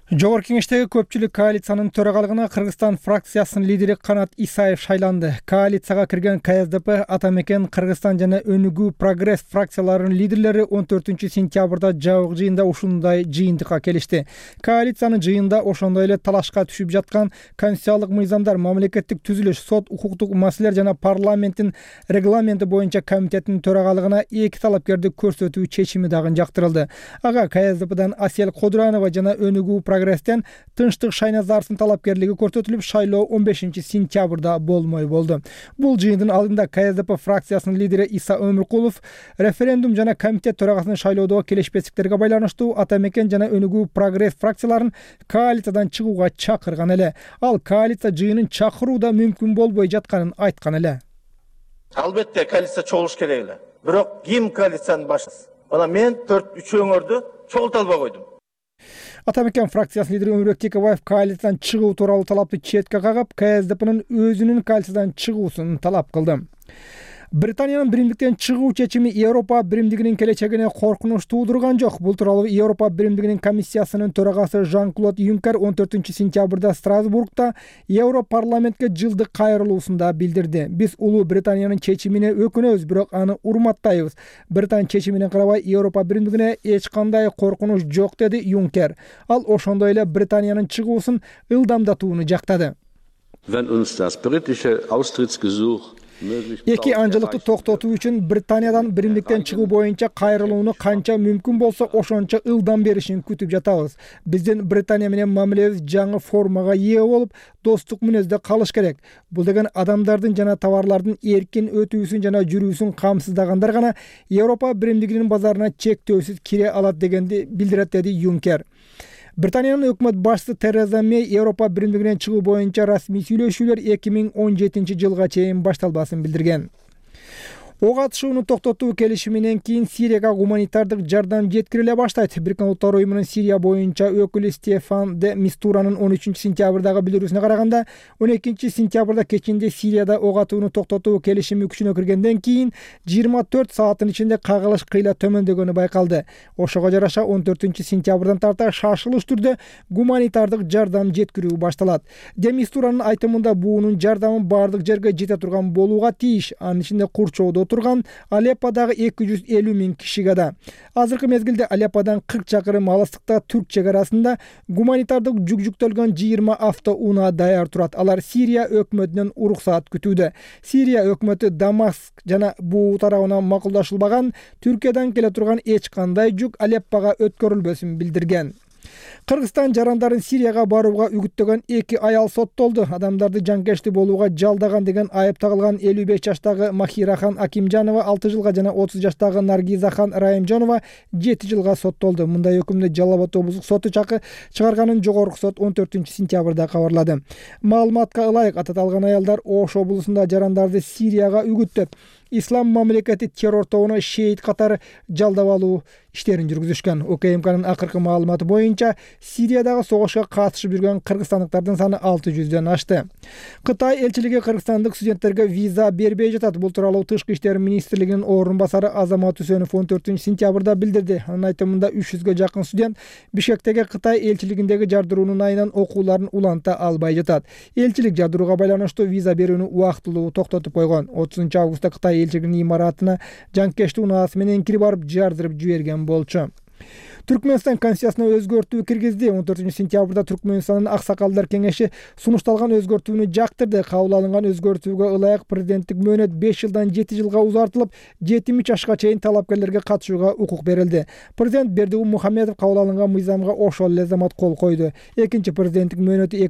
Жогорку кеңештеги көпчүлүк коалициянын төрагалыгына Кыргызстан фракциясынын лидери Канат Исаев шайланды. Коалицияга кирген Ка Эс Д П, Атамекен, Кыргызстан жана Өнүгүү Прогресс фракцияларынын лидерлери он төртүнчү сентябрда жабык жыйында ушундай жыйынтыкка келишти. Коалициянын жыйында ошондой эле талашка түшүп жаткан конституциялык мыйзамдар, мамлекеттик түзүлүш, сот, укуктук маселелер жана парламенттин регламенти боюнча комитеттин төрагалыгына эки талапкерди көрсөтүү чечими дагы жактырылды. Ага Ка Эс Д П'дан Асель Кодуранова жана Өнүгүү Прогресстен Тынчтык Шайназаровдун талапкерлиги көрсөтүлүп, шайлоо он бешинчи сентябрда болмой болду. Бул жыйындын алдында Ка Эс Д П фракциясынын лидери Иса Өмүркулов референдум жана комитет төрагасынын шайлоодо келишпестиктерге байланыштуу Атамекен жана Өнүгүү Прогресс фракцияларын коалициядан чыгууга чакырган эле. Ал коалиция жыйынын чакыруу да мүмкүн болбой жатканын айткан эле. Албетте коалиция чогулуш керек эле. Бирок ким коалициянын башчысы? Мына мен төрт үчөөңөрдү чогулта албай койдум. Атамекен фракциясынын лидери Өмүрбек Текебаев коалициядан чыгуу тууралуу талапты четке кагып, Ка Эс Д П'нын өзүнүн коалициядан чыгуусун талап кылды. Британиянын биримдиктен чыгуу чечими Европа биримдигинин келечегине коркунуч туудурган жок. Бул тууралуу Европа биримдигинин комиссиясынын төрагасы Жан-Клод Юнкер он төртүнчү сентябрда Страсбургда Европарламентке жылдык кайрылуусунда билдирди. Биз улуу Британиянын чечимине өкүнөбүз, бирок аны урматтайбыз. Британия чечимине карабай Европа биримдигине эч кандай коркунуч жок, деди Юнкер. Ал ошондой эле Британиянын чыгуусун ылдамдатууну жактады. Wenn uns das britische Austrittsgesuch Эки анжылыкты токтотуу үчүн Британиядан биримдиктен чыгуу боюнча кайрылууну канча мүмкүн болсо ошончо ылдам беришин күтүп жатабыз. Биздин Британия менен мамилебиз жаңы формага ээ болуп, достук мүнөздө калыш керек. Бул деген адамдардын жана товарлардын эркин өтүүсүн жана жүрүүсүн камсыздагандар гана Европа биримдигинин базарына чектөөсүз кире алат дегенди билдирет, деди Юнкер. Британиянын өкмөт башчысы Тереза Мей Европа биримдигинен чыгуу боюнча расмий сүйлөшүүлөр эки миң он жетинчи жылга чейин башталбасын билдирген. Ок атышууну токтотуу келишиминен кийин Сирияга гуманитардык жардам жеткириле баштайт. Бириккен Улуттар уюмунун Сирия боюнча өкүлү Стефан де Мистуранын он үчүнчү сентябрдагы билдирүүсүнө караганда, он экинчи сентябрда кечинде Сирияда ок атууну токтотуу келишими күчүнө киргенден кийин жыйырма төрт сааттын ичинде кагылыш кыйла төмөндөгөнү байкалды. Ошого жараша он төртүнчү сентябрдан тарта шашылыш түрдө гуманитардык жардам жеткирүү башталат. Де Мистуранын айтымында буунун жардамы бардык жерге жете турган болууга тийиш. Анын ичинде Курчоодо турган Алепподагы эки жүз элүү миң кишиге да. Азыркы мезгилде Алепподан кырк чакырым алыстыкта Түрк чегарасында гуманитардык жүк жүктөлгөн жыйырма автоунаа даяр турат. Алар Сирия өкмөтүнөн уруксаат күтүүдө. Сирия өкмөтү Дамаск жана буу тарабына макулдашылбаган Түркиядан келе турган эч кандай жүк Алеппога өткөрүлбөсүн билдирген. Кыргызстан жарандарын Сирияга барууга үгүттөгөн эки аял соттолду. Адамдарды жанкечтүү болууга жалдаган деген айып тагылган элүү беш жаштагы Махирахан Акимжанова алты жылга жана отуз жаштагы Наргизахан Райымжанова жети жылга соттолду. Мындай өкүмдү Жалал Абад облустук соту чакы чыгарганын жогорку сот он төртүнчү сентябрда кабарлады. Маалыматка ылайык, аталган аялдар Ош облусунда жарандарды Сирияга үгүттөп, Ислам мамлекети террор тобуна шейит катары жалдап алуу иштерин жүргүзүшкөн. О К М К'нын акыркы маалыматы боюнча Сириядагы согушка катышып жүргөн кыргызстандыктардын саны алты жүздөн ашты. Кытай элчилиги кыргызстандык студенттерге виза бербей жатат. Бул тууралуу Тышкы иштер министрлигинин орун басары Азамат Үсөнов он төртүнчү сентябрда билдирди. Анын айтымында үч жүзгө жакын студент Бишкектеги Кытай элчилигиндеги жардыруунун айынан окууларын уланта албай жатат. Элчилик жардырууга байланыштуу виза берүүнү убактылуу токтотуп койгон. отузунчу августта Кытай элчилигинин имаратына жанкечтүү унаасы менен кирип барып жардырып жиберген болчу. Түркмөнстан конституциясына өзгөртүү киргизди. он төртүнчү сентябрда Түркмөнстандын аксакалдар кеңеши сунушталган өзгөртүүнү жактырды. Кабыл алынган өзгөртүүгө ылайык президенттик мөөнөт беш жылдан жети жылга узартылып, жетимиш жашка чейин талапкерлерге катышууга укук берилди. Президент Бердигул Мухаммедов кабыл алынган мыйзамга ошол эле замат кол койду. Экинчи президенттик мөөнөтү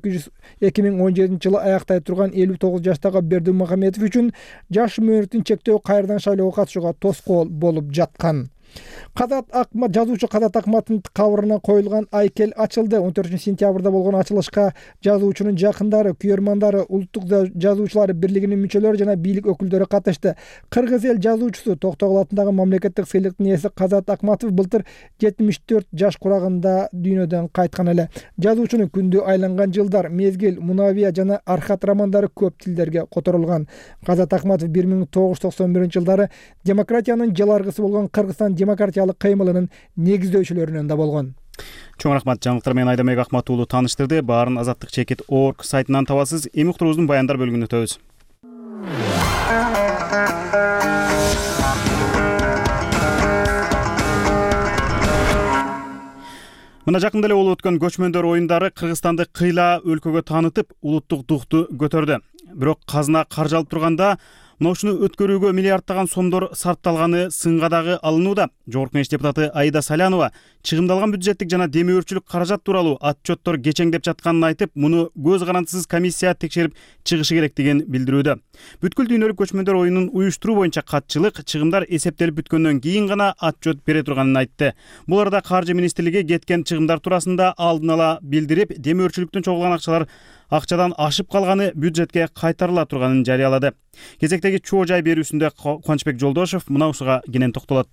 эки миң он жетинчи жылы аяктай турган элүү тогуз жаштагы Бердигул Мухаммедов үчүн жаш мөөнөтүн чектөө кайрадан шайлоого катышууга тоскоол болуп жаткан. Казат Акмат жазуучу Казат Акматтын кабырына коюлган айкел ачылды. он төртүнчү сентябрда болгон ачылышка жазуучунун жакындары, күйөрмандары, улуттук жазуучулар бирлигинин мүчөлөрү жана бийлик өкүлдөрү катышты. Кыргыз эл жазуучусу Токтогул атындагы мамлекеттик сыйлыктын ээси Казат Акматов былтыр жетимиш төрт жаш курагында дүйнөдөн кайткан эле. Жазуучунун Күндү айланган жылдар, Мезгил, Мунавия жана Архат романдары көп тилдерге которулган. Казат Акматов бир миң тогуз жүз токсон биринчи жылдары демократиянын жаларгысы болгон Кыргызстан демократиялык кыймылынын негиздөөчүлөрүнөн да болгон. Чоң рахмат. Жаңылыктар менен Айдамек Акмат уулу тааныштырды. Баарын азаттык чекит точка орг сайтынан табасыз. Эми уктуруубуздун баяндар бөлүгүнө өтөбүз. Мына жакында эле болуп өткөн көчмөндөр оюндары Кыргызстанды кыйла өлкөгө таанытып, улуттук духту көтөрдү. Бирок казына каржы алып турганда мына ушуну өткөрүүгө миллиардтаган сомдор сарпталганы сынга дагы алынууда. Жогорку Кеңеш депутаты Аида Салянова чыгымдалган бюджеттик жана демөөрчүлүк каражат тууралуу отчеттор кечеңдеп жатканын айтып, муну көз карандысыз комиссия текшерип чыгышы керектигин билдирүүдө. Бүткүл дүйнөлүк көчмөндөр оюнун уюштуруу боюнча катчылык чыгымдар эсептелип бүткөндөн кийин гана отчет бере турганын айтты. Бул арада Каржы министрлиги кеткен чыгымдар туурасында алдын ала билдирип, демөөрчүлүктөн чогулган акчалар акчадан ашып калганы бюджетке кайтарыла турганын жарыялады. Кезектеги чоо жай берүүсүндө Кубанычбек Жолдошов мына ушуга кенен токтолот.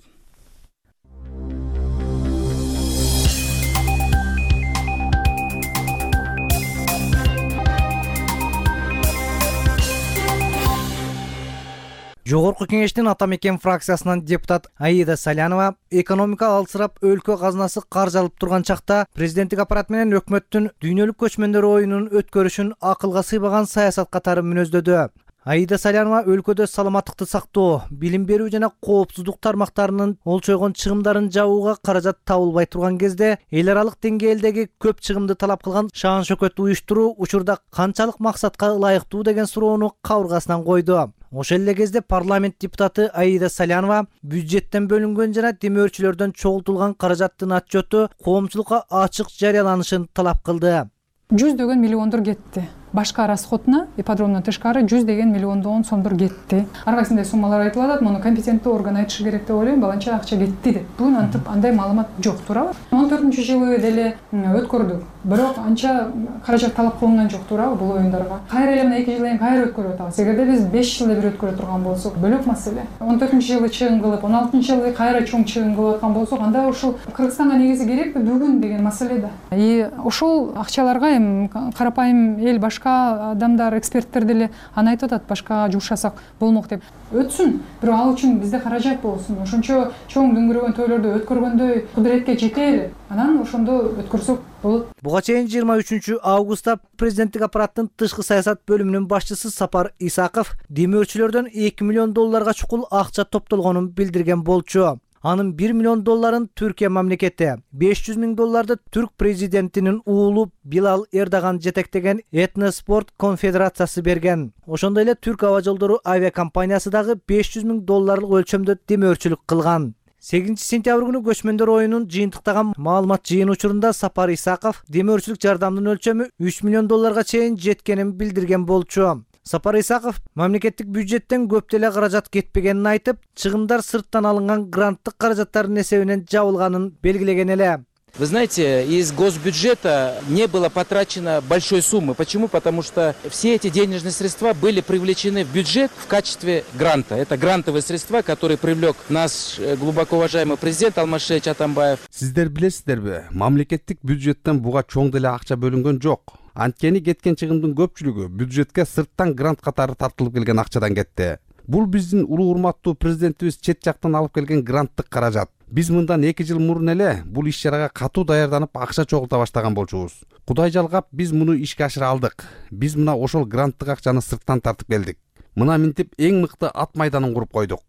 Жогорку Кеңештин Ата Мекен фракциясынан депутат Аида Салянова экономика алсырап өлкө казынасы каржы алып турган чакта президенттик аппарат менен өкмөттүн дүйнөлүк көчмөндөр оюнун өткөрүшүн акылга сыйбаган саясат катары мүнөздөдү. Аида Салянова өлкөдө саламаттыкты сактоо, билим берүү жана коопсуздук тармактарынын олчойгон чыгымдарын жабууга каражат табылбай турган кезде эл аралык деңгээлдеги көп чыгымды талап кылган шаан шөкөт уюштуруу учурда канчалык максатка ылайыктуу деген суроону кабыргасынан койду. Ошол эле кезде парламент депутаты Аида Салянова бюджеттен бөлүнгөн жана демөөрчүлөрдөн чогултулган каражаттын отчету коомчулукка ачык жарыяланышын талап кылды. Жүздөгөн миллиондор кетти. Башка расходуна ипподромдон тышкары жүз деген миллиондон сомдор кетти. Ар кайсындай суммалар айтылып атат, муну компетенттүү орган айтышы керек деп ойлойм. Баланча акча кетти деп. Бүгүн антип андай маалымат жок, туурабы? он төртүнчү жылы деле өткөрдүк. Бирок анча каражат талап кылынган жок, туурабы, бул оюндарга? Кайра эле мына эки жылдан кийин кайра өткөрүп атабыз. Эгерде биз беш жылда бир өткөрө турган болсок, бөлөк маселе. он төртүнчү жылы чыгым кылып, он алтынчы жылы кайра чоң чыгым кылып аткан болсок, анда ушул Кыргызстанга негизи керекпи бүгүн деген маселе да. И ошол акчаларга эми карапайым эл, башка адамдар, эксперттер деле аны айтып атат, башкага жумшасак болмок деп. Өтсүн, бирок ал үчүн бизде каражат болсун. Ошончо чоң дүңгүрөгөн тойлорду өткөргөндөй кудуретке жетели. Анан ошондо өткөрсөк болот. Буга чейин жыйырма үчүнчү августта президенттик аппараттын тышкы саясат бөлүмүнүн башчысы Сапар Исаков демөөрчүлөрдөн эки миллион долларга чукул акча топтолгонун билдирген болчу. Анын бир миллион долларын Түркия мамлекети, беш жүз миң долларды түрк президентинин уулу Билал Эрдоган жетектеген Этноспорт конфедерациясы берген. Ошондой эле Түрк аба жолдору авиакомпаниясы дагы беш жүз миң долларлык өлчөмдө демөөрчүлүк кылган. сегизинчи сентябрь күнү көчмөндөр оюнун жыйынтыктаган маалымат жыйын учурунда Сапар Исаков демөөрчүлүк жардамдын өлчөмү үч миллион долларга чейин жеткенин билдирген болчу. Сапар Исаков мамлекеттик бюджеттен көп деле каражат кетпегенин айтып, чыгымдар сырттан алынган гранттык каражаттардын эсебинен жабылганын белгилеген эле. Вы знаете, из госбюджета не было потрачено большой суммы. Почему? Потому что все эти денежные средства были привлечены в бюджет в качестве гранта. Это грантовые средства, которые привлек наш глубоко уважаемый президент Алмазбек Атамбаев. Сиздер билесиздерби, мамлекеттик бюджеттен буга чоң деле акча бөлүнгөн жок. Анткени кеткен чыгымдын көпчүлүгү бюджетке сырттан грант катары тартылып келген акчадан кетти. Бул биздин улуу урматтуу президентибиз чет жактан алып келген гранттык каражат. Биз мындан эки жыл мурун эле бул иш чарага катуу даярданып акча чогулта баштаган болчубуз. Кудай жалгап биз муну ишке ашыра алдык. Биз мына ошол гранттык акчаны сырттан тартып келдик. Мына минтип эң мыкты ат майданын куруп койдук.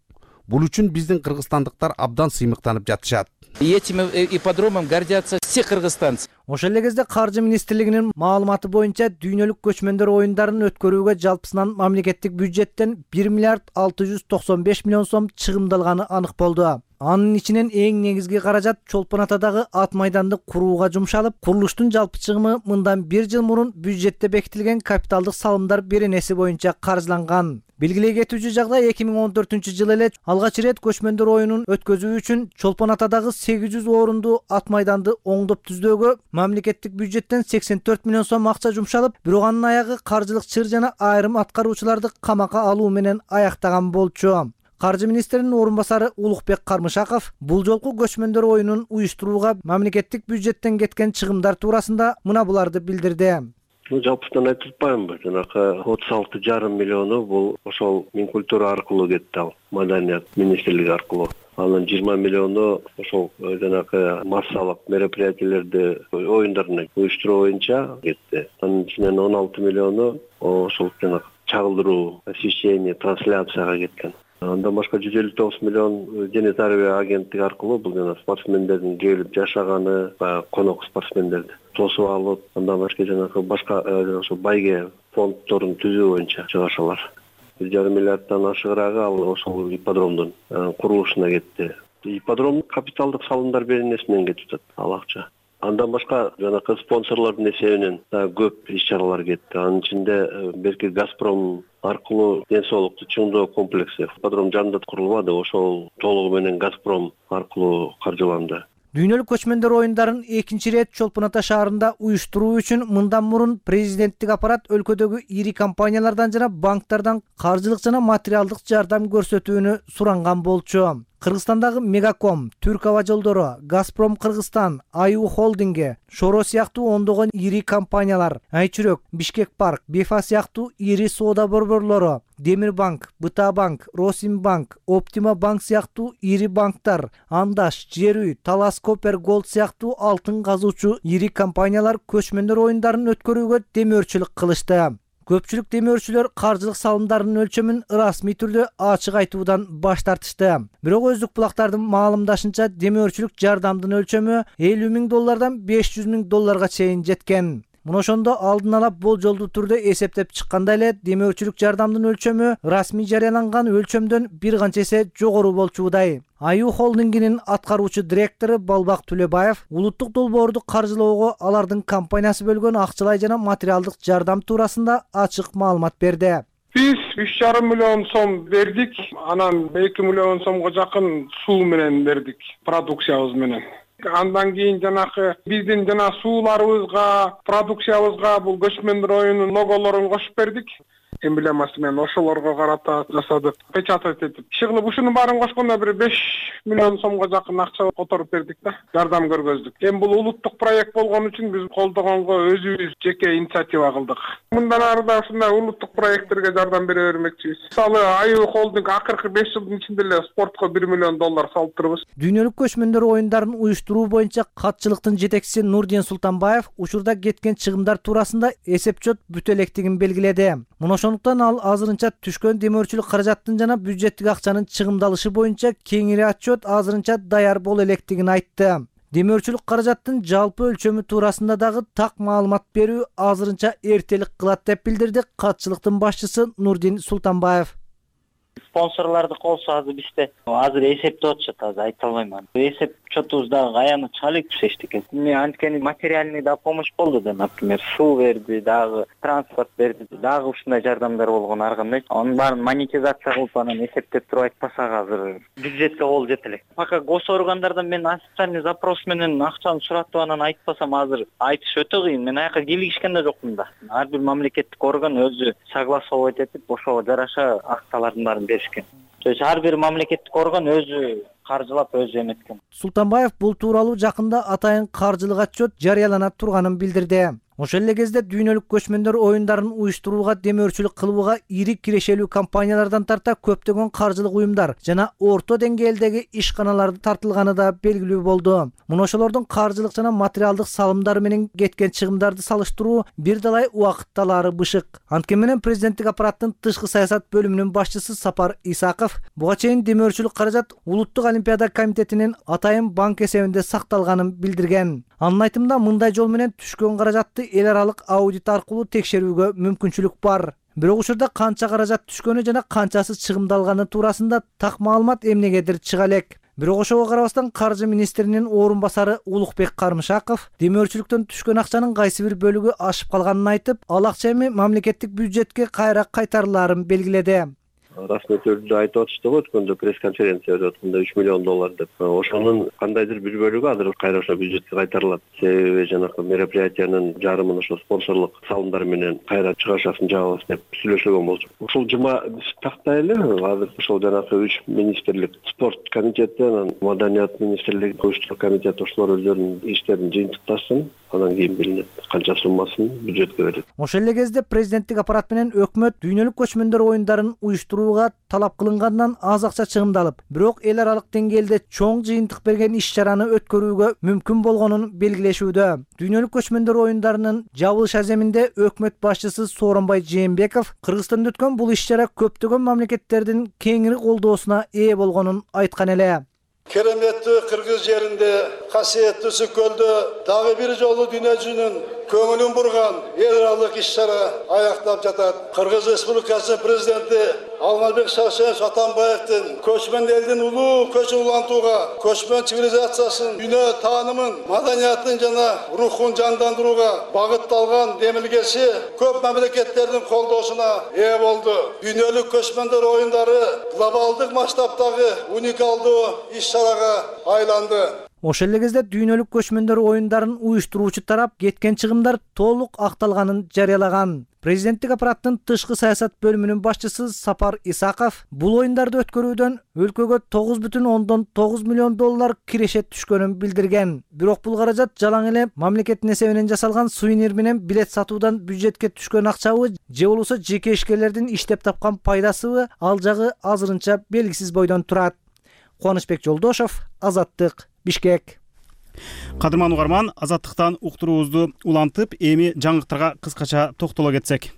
Бул үчүн биздин кыргызстандыктар абдан сыймыктанып жатышат. И этим ипподромом гордятся все кыргызстанцы. Ошол эле кезде Каржы министрлигинин маалыматы боюнча дүйнөлүк көчмөндөр оюндарын өткөрүүгө жалпысынан мамлекеттик бюджеттен бир миллиард алты жүз токсон беш миллион сом чыгымдалганы анык болду. Анын ичинен эң негизги каражат Чолпон Атадагы ат майданды курууга жумшалып, курулуштун жалпы чыгымы мындан бир жыл мурун бюджетте бекитилген капиталдык салымдар беренеси боюнча каржыланган. Белгилей кетүүчү жагдай эки миң он төртүнчү жылы эле алгач ирет көчмөндөр оюнун өткөзүү үчүн Чолпон Атадагы сегиз жүз орунду ат майданды оңдоп түздөөгө мамлекеттик бюджеттен сексен төрт миллион сом акча жумшалып, бирок анын аягы каржылык чыр жана айрым аткаруучуларды камакка алуу менен аяктаган болчу. Каржы министринин орун басары Улукбек Кармышаков бул жолку көчмөндөр оюнун уюштурууга мамлекеттик бюджеттен кеткен чыгымдар туурасында мына буларды билдирди. Ну, жалпысынан айтып атпаймынбы, жанакы отуз алты жарым миллиону бул ошол Минкультура аркылуу кетти, ал Маданият министрлиги аркылуу. Анын жыйырма миллиону ошол жанакы массалык мероприятиелерди, оюндарын уюштуруу боюнча кетти. Анын ичинен он алты миллиону ошол жанакы чагылдыруу, освещение, трансляцияга кеткен. Андан башка жүз элүү тогуз миллион дене тарбия агенттиги аркылуу бул жана спортсмендердин келип жашаганы, конок спортсмендерди тосуп алып, андан башка жанакы башка ошо байге фонддорун түзүү боюнча чыгышалар. бир жарым миллиарддан ашыгыраагы ал ошол ипподромдун курулушуна кетти. Ипподром капиталдык салымдар беренеси менен кетип атат ал акча. Андан башка жанакы спонсорлордун эсебинен көп иш-чаралар кетти. Анын ичинде берки Газпром аркылуу ден соолукту чыңдоо комплекси ипподром жанында курулбады, ошол толугу менен Газпром аркылуу каржыланды. Дүйнөлүк көчмөндөр оюндарын экинчи ирет Чолпон Ата шаарында уюштуруу үчүн мындан мурун президенттик аппарат өлкөдөгү ири компаниялардан жана банктардан каржылык жана материалдык жардам көрсөтүүнү суранган болчу. Кыргызстандагы Мегаком, Түрк аба жолдору, Газпром Кыргызстан, Аю холдинги, Шоро сыяктуу ондогон ири компаниялар, Айчүрөк, Бишкек парк, Бефа сыяктуу ири соода борборлору, Демирбанк, Быта банк, Росимбанк, Оптима банк сыяктуу ири банктар, Андаш, Жер үй, Талас Копер Голд сыяктуу алтын казуучу ири компаниялар көчмөндөр оюндарын өткөрүүгө демөөрчүлүк кылышты. Көпчүлүк демөөрчүлөр каржылык салымдарынын өлчөмүн расмий түрдө ачык айтуудан баш тартышты. Бирок өздүк булактардын маалымдашынча демөөрчүлүк жардамдын өлчөмү элүү миң доллардан беш жүз миң долларга чейин жеткен. Мына ошондо алдын ала болжолдуу түрдө эсептеп чыкканда эле демөөрчүлүк жардамдын өлчөмү расмий жарыяланган өлчөмдөн бир канча эсе жогору болчудай. Аю холдингинин аткаруучу директору Балбак Төлөбаев улуттук долбоорду каржылоого алардын компаниясы бөлгөн акчалай жана материалдык жардам туурасында ачык маалымат берди. Биз үч жарым миллион сом бердик, анан эки миллион сомго жакын суу менен бердик, продукциябыз менен. Андан кийин жанакы биздин жана сууларыбызга, продукциябызга бул көчмөндөр оюнунун логолорун кошуп бердик. Эмблемасы менен ошолорго карата жасадык, печатать этип. Иши кылып ушунун баарын кошкондо бир беш миллион сомго жакын акча которуп бердик да, жардам көргөздүк. Эми бул улуттук проект болгон үчүн биз колдогонго өзүбүз жеке инициатива кылдык. Мындан ары да ушундай улуттук проекттерге жардам бере бермекчибиз. Мисалы, Аю холдинг акыркы беш жылдын ичинде эле спортко бир миллион доллар салып турбуз. Дүйнөлүк көчмөндөр оюндарын уюштуруу боюнча катчылыктын жетекчиси Нурдин Султанбаев учурда кеткен чыгымдар туурасында эсеп-чот бүтө электигин белгиледи. Мына ошондуктан ал азырынча түшкөн демөөрчүлүк каражаттын жана бюджеттик акчанын чыгымдалышы боюнча кеңири отчет азырынча даяр боло электигин айтты. Демөөрчүлүк каражаттын жалпы өлчөмү туурасында дагы так маалымат берүү азырынча эртелик кылат деп билдирди катчылыктын башчысы Нурдин Султанбаев. Спонсорлордук болсо азыр бизде азыр эсептеп атышат, азыр айта албайм. Эсеп чотубуз дагы аянычалык эчтеке. Мен анткени материальный да помощь болду да, например, суу берди, дагы транспорт берди, дагы ушундай жардамдар болгон ар кандай. Анын баарын монетизация кылып анан эсептеп туруп айтпасак азыр бюджетке кол жете элек. Пока госоргандардан мен официальный запрос менен акчаны суратып анан айтпасам азыр айтыш өтө кыйын. Мен аяка кийлигишкен да жокмун да. Ар бир мамлекеттик орган өзү согласовать этип ошого жараша акчалардын баарын беришкен. То есть ар бир мамлекеттик орган өзү каржылап өзү эметкен. Султанбаев бул тууралуу жакында атайын каржылык отчет жарыялана турганын билдирди. Ошол эле кезде дүйнөлүк көчмөндөр оюндарын уюштурууга демөөрчүлүк кылууга ири кирешелүү компаниялардан тарта көптөгөн каржылык уюмдар жана орто деңгээлдеги ишканалар тартылганы да белгилүү болду. Муну ошолордун каржылык жана материалдык салымдары менен кеткен чыгымдарды салыштыруу бир далай убакыт алаары бышык. Анткени менен президенттик аппараттын тышкы саясат бөлүмүнүн башчысы Сапар Исаков буга чейин демөөрчүлүк каражат Улуттук олимпиада комитетинин атайын банк эсебинде сакталганын билдирген. Анын айтымында мындай жол менен түшкөн каражатты эл аралык аудит аркылуу текшерүүгө мүмкүнчүлүк бар. Бирок учурда канча каражат түшкөнү жана канчасы чыгымдалганы туурасында так маалымат эмнегедир чыга элек. Бирок ошого карабастан каржы министринин орун басары Улукбек Кармышаков демөөрчүлүктөн түшкөн акчанын кайсы бир бөлүгү ашып калганын айтып, ал акча эми мамлекеттик бюджетке кайра кайтарылаарын белгиледи. Расмий түрдө айтып атышты го, өткөндө пресс-конференция өтүп атканда үч миллион доллар деп. Ошонун кандайдыр бир бөлүгү азыр кайра ошо бюджетке кайтарылат. Себеби жанакы мероприятиянын жарымын ошо спонсорлук салымдар менен кайра чыгашасын жабабыз деп сүйлөшүлгөн болчу. Ушул жума такта эле азыр ошол жанакы үч министрлик, спорт комитети, анан маданият министрлиги, коюштуруу комитети ошолор өздөрүнүн иштерин жыйынтыктасын, анан кийин билинет канча суммасын бюджетке берет. Ошол эле кезде президенттик аппарат менен өкмөт дүйнөлүк көчмөндөр оюндарын уюштурууга талап кылынгандан аз акча чыгымдалып, бирок эл аралык деңгээлде чоң жыйынтык берген иш-чараны өткөрүүгө мүмкүн болгонун белгилешүүдө. Дүйнөлүк көчмөндөр оюндарынын жабылыш аземинде өкмөт башчысы Сооронбай Жээнбеков Кыргызстанда өткөн бул иш-чара көптөгөн мамлекеттердин кеңири колдоосуна ээ болгонун айткан эле. Кереметтүү кыргыз жеринде, касиеттүү Сүт көлдө дагы бир жолу дүйнө жүзүнүн көңүлүн бурган эл аралык иш-чара аяктап жатат. Кыргыз Республикасынын президенти Алмазбек Шаршенович Атамбаевдин көчмөн элдин улуу көчүн улантууга, көчмөн цивилизациясын, дүйнө таанымын, маданиятын жана рухун жандандырууга багытталган демилгеси көп мамлекеттердин колдоосуна ээ болду. Дүйнөлүк көчмөндөр оюндары глобалдык масштабтагы уникалдуу иш-чарага айланды. Ошол эле кезде дүйнөлүк көчмөндөр оюндарын уюштуруучу тарап кеткен чыгымдар толук акталганын жарыялаган. Президенттик аппараттын тышкы саясат бөлүмүнүн башчысы Сапар Исаков бул оюндарды өткөрүүдөн өлкөгө тогуз бүтүн ондон тогуз миллион доллар киреше түшкөнүн билдирген. Бирок бул каражат жалаң эле мамлекеттин эсебинен жасалган сувенир менен билет сатуудан бюджетке түшкөн акчабы же болбосо жеке ишкерлердин иштеп тапкан пайдасыбы, ал жагы азырынча белгисиз бойдон турат. Кубанычбек Жолдошов, Азаттык, Бишкек. Кадырман угарман, Азаттыктан уктуруубузду улантып, эми жаңылыктарга кыскача токтоло кетсек.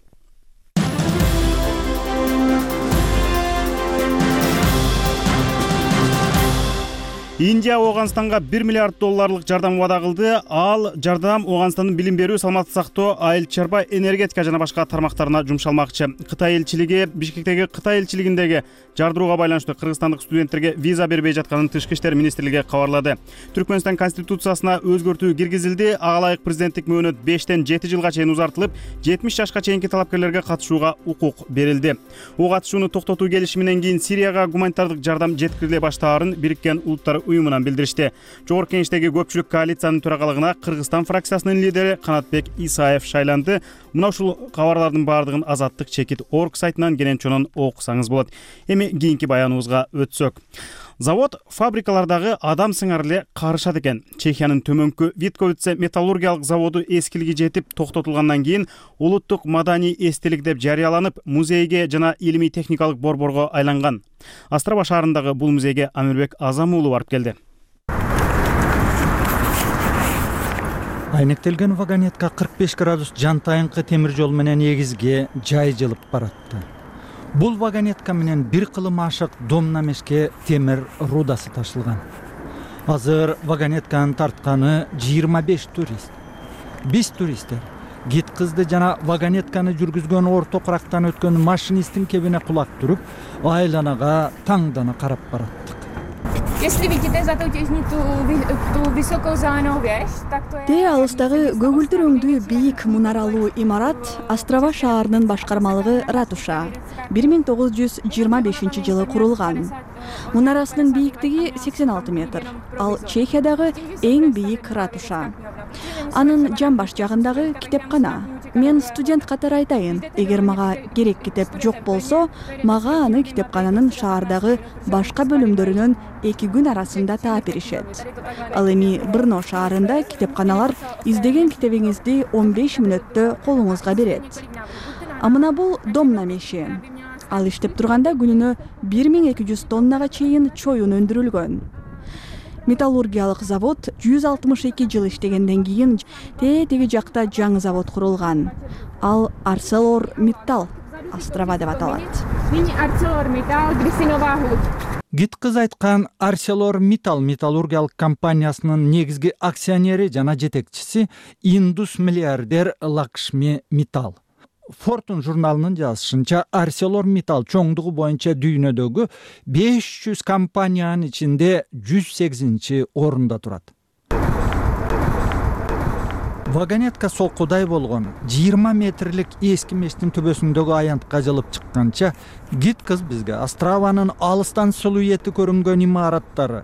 Индия Ооганстанга бир миллиард долларлык жардам вада кылды. Ал жардам Ооганстандын билим берүү, саламаттык сактоо, айыл чарба, энергетика жана башка тармактарына жумшалмакчы. Кытай элчилиги Бишкектеги Кытай элчилигиндеги жардырууга байланыштуу кыргызстандык студенттерге виза бербей жатканын Тышкы иштер министрлиги кабарлады. Түркмөнстан конституциясына өзгөртүү киргизилди. Ага ылайык президенттик мөөнөт бештен жети жылга чейин узартылып, жетимиш жашка чейинки талапкерлерге катышууга укук берилди. О катышууну токтотуу келишиминен кийин Сирияга гуманитардык жардам жеткириле баштаарын Бириккен Улуттар уюмунан билдиришти. Жогорку Кеңештеги көпчүлүк коалициянын төрагалыгына Кыргызстан фракциясынын лидери Канатбек Исаев шайланды. Мына ушул кабарлардын баардыгын Азаттык чекит орг сайтынан кенен чонун окусаңыз болот. Эми кийинки баяныбызга өтсөк. Завод фабрикалардагы адам сыңар эле карышат экен. Чехиянын төмөнкү Витковице металлургиялык заводу эскилиги жетип токтотулгандан кийин улуттук маданий эстелик деп жарыяланып, музейге жана илимий техникалык борборго айланган. Астраба шаарындагы бул музейге Амирбек Азам уулу барып келди. Айнектелген вагонетка кырк беш градус жантайынкы темир жол менен эгизге жай жылып баратты. Бул вагонетка менен бир кылым ашык Домнамешке темир рудасы ташылган. Азыр вагонетканын тартканы жыйырма беш турист. Биз туристтер гид кызды жана вагонетканы жүргүзгөн орто курактан өткөн машинисттин кебине кулак туруп, айланага таңдана карап бараттык. Если видите за ту высокую занавес, так то Те алыстагы көгүлдүр өңдүү бийик мунаралуу имарат Острова шаарынын башкармалыгы ратуша. бир миң тогуз жүз жыйырма бешинчи жылы курулган. Мунарасынын бийиктиги сексен алты метр. Ал Чехиядагы эң бийик ратуша. Анын жамбаш жагындагы китепкана. Мен студент катары айтайын, эгер мага керек китеп жок болсо, мага аны китепкананын шаардагы башка бөлүмдөрүнөн эки күн арасында таап беришет. Ал эми Брно шаарында китепканалар издеген китебиңизди он беш мүнөттө колуңузга берет. А мына бул домна меши. Ал иштеп турганда күнүнө бир миң эки жүз тоннага чейин чоюн өндүрүлгөн. Металлургиялык завод жүз алтымыш эки жыл иштегенден кийин тетиги жакта жаңы завод курулган. Ал ArcelorMittal острова деп аталат. Гит кыз айткан ArcelorMittal металлургиялык компаниясынын негизги акционери жана жетекчиси индус миллиардер Лакшми Миттал. Fortune журналынын жазышынча ArcelorMittal чоңдугу боюнча дүйнөдөгү беш жүз компаниянын ичинде жүз сегизинчи орунда турат. Вагонетка солкудай болгон жыйырма метрлик эски мештин төбөсүндөгү аянтка жылып чыкканча гид кыз бизге Острованын алыстан силуэти көрүнгөн имараттары,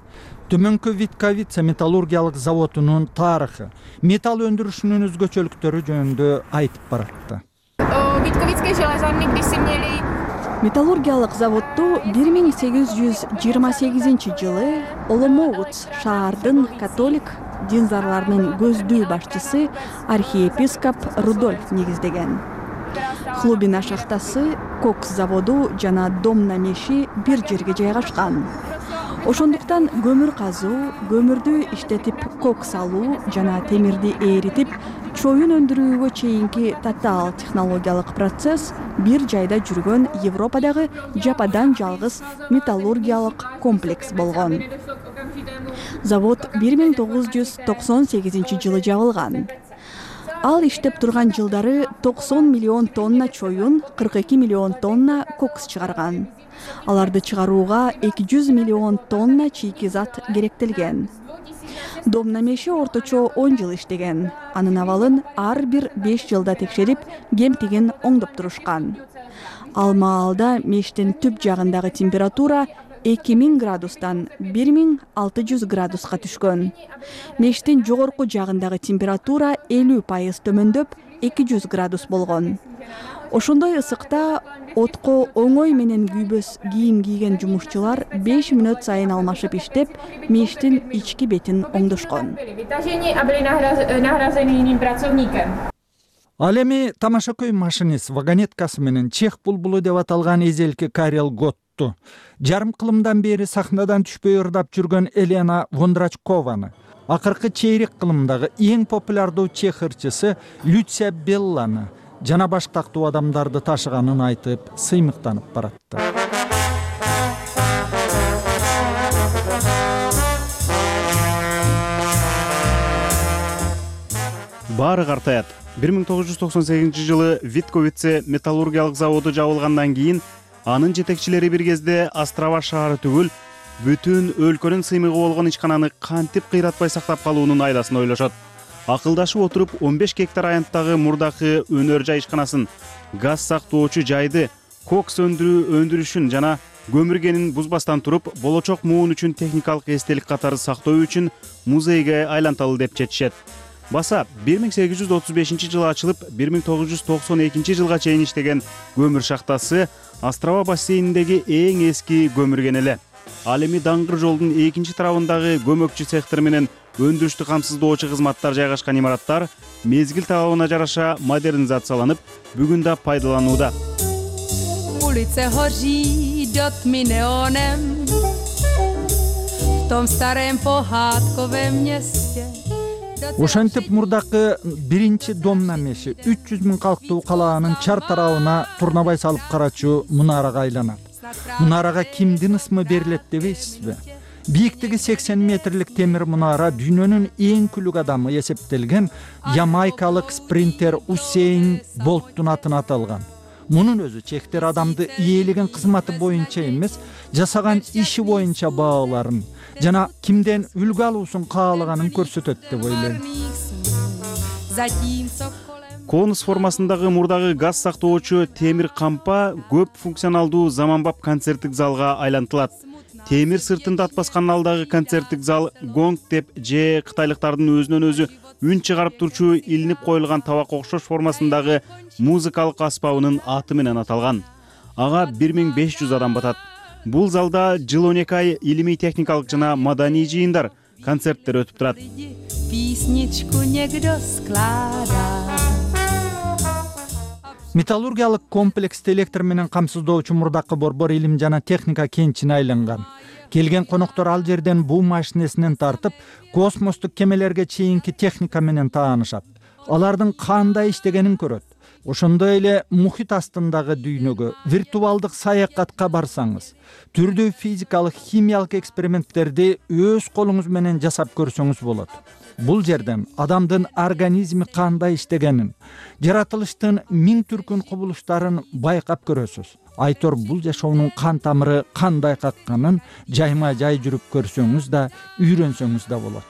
төмөнкү Витковица металлургиялык заводунун тарыхы, металл өндүрүшүнүн өзгөчөлүктөрү жөнүндө айтып баратты. Металлургиялык заводду бир миң сегиз жүз жыйырма сегизинчи жылы Оломоуц шаардын католик динзарларынын көздүү башчысы архиепископ Рудольф негиздеген. Хлубина шахтасы, кокс заводу жана домна меши бир жерге жайгашкан. Ошондуктан көмүр казуу, көмүрдү иштетип кокс алуу жана темирди эритип чоюн өндүрүүгө чейинки татаал технологиялык процесс бир жайда жүргөн Европадагы жападан жалгыз металлургиялык комплекс болгон. Завод бир миң тогуз жүз токсон сегизинчи жылы жабылган. Ал иштеп турган жылдары токсон миллион тонна чоюн, кырк эки миллион тонна кокс чыгарган. Аларды чыгарууга эки жүз миллион тонна чийки зат керектелген. Домна меши орточо он жыл иштеген. Анын абалын ар бир беш жылда текшерип, кемтигин оңдоп турушкан. Ал маалда мештин түп жагындагы температура эки миң градустан бир миң алты жүз градуска түшкөн. Мештин жогорку жагындагы температура элүү пайыз төмөндөп эки жүз градус болгон. Ошондой ысыкта отко оңой менен күйбөс кийим кийген жумушчулар беш мүнөт сайын алмашып иштеп, мештин ички бетин оңдошкон. Ал эми тамашакөй машинист вагонеткасы менен чех булбулу деп аталган эзелки Карел Готту, жарым кылымдан бери сахнадан түшпөй ырдап жүргөн Елена Вондрачкованы, акыркы чейрек кылымдагы эң популярдуу чех ырчысы Люция Белланы жана баш тактуу адамдарды ташыганын айтып сыймыктанып баратты. Баары картаят. бир миң тогуз жүз токсон сегизинчи жылы Витковице металлургиялык заводу жабылгандан кийин анын жетекчилери бир кезде Острова шаары түгүл, бүтүн өлкөнүн сыймыгы болгон ичкананы кантип кыйратпай сактап калуунун айласын ойлошот. Акылдашып отуруп он беш гектар аянттагы мурдакы өнөр жай ишканасын, газ сактоочу жайды, кокс өндүрүү өндүрүшүн жана көмүргенин бузбастан туруп, болочок муун үчүн техникалык эстелик катары сактоо үчүн музейге айланталы деп чечишет. Баса бир миң сегиз жүз отуз бешинчи жылы ачылып, бир миң тогуз жүз токсон экинчи жылга чейин иштеген көмүр шахтасы Острова бассейниндеги эң эски көмүрген эле. Ал эми даңгыр жолдун экинчи тарабындагы көмөкчү цехтер менен өндүрүштү камсыздоочу кызматтар жайгашкан имараттар мезгил талабына жараша модернизацияланып, бүгүн да пайдаланууда. Ulice hoří dotmi neonem v tom starém pohádkovém městě. Ошентип мурдакы биринчи домна меши үч жүз миң калктуу калаанын чар тарабына турнабай салып карачу мунарага айланат. Мунарага кимдин ысмы берилет дебейсизби? Бийиктиги сексен метрлик темир мунара дүйнөнүн эң күлүк адамы эсептелген ямайкалык спринтер Усейн Болттун атына аталган. Мунун өзү чехтер адамды ээлеген кызматы боюнча эмес, жасаган иши боюнча бааларын жана кимден үлгү алуусун каалаганын көрсөтөт деп ойлойм. Конус формасындагы мурдагы газ сактоочу темир кампа көп функционалдуу заманбап концерттик залга айлантылат. темир сыртында атпаскан алдагы концерттик зал гонг деп же кытайлыктардын өзүнөн өзү үн чыгарып турчу илинип коюлган табакка окшош формасындагы музыкалык аспабынын аты менен аталган. Ага бир миң беш жүз адам батат. Бул залда жыл он эки ай илимий техникалык жана маданий жыйындар, концерттер өтүп турат. Металлургиялык комплексти электр менен камсыздоочу мурдакы борбор илим жана техника кенчине айланган. Келген коноктор ал жерден буу машинесинен тартып, космостук кемелерге чейинки техника менен таанышат. Алардын кандай иштегенин көрөт. Ошондой эле мухит астындагы дүйнөгө, виртуалдык саякатка барсаңыз, түрдүү физикалык, химиялык эксперименттерди өз колуңуз менен жасап көрсөңүз болот. Бул жерден адамдын организми кандай иштегенин, жаратылыштын миң түркүн кубулуштарын байкап көрөсүз. Айтор бул жашоонун кан тамыры кандай какканын жайма жай жүрүп көрсөңүз да, үйрөнсөңүз да болот.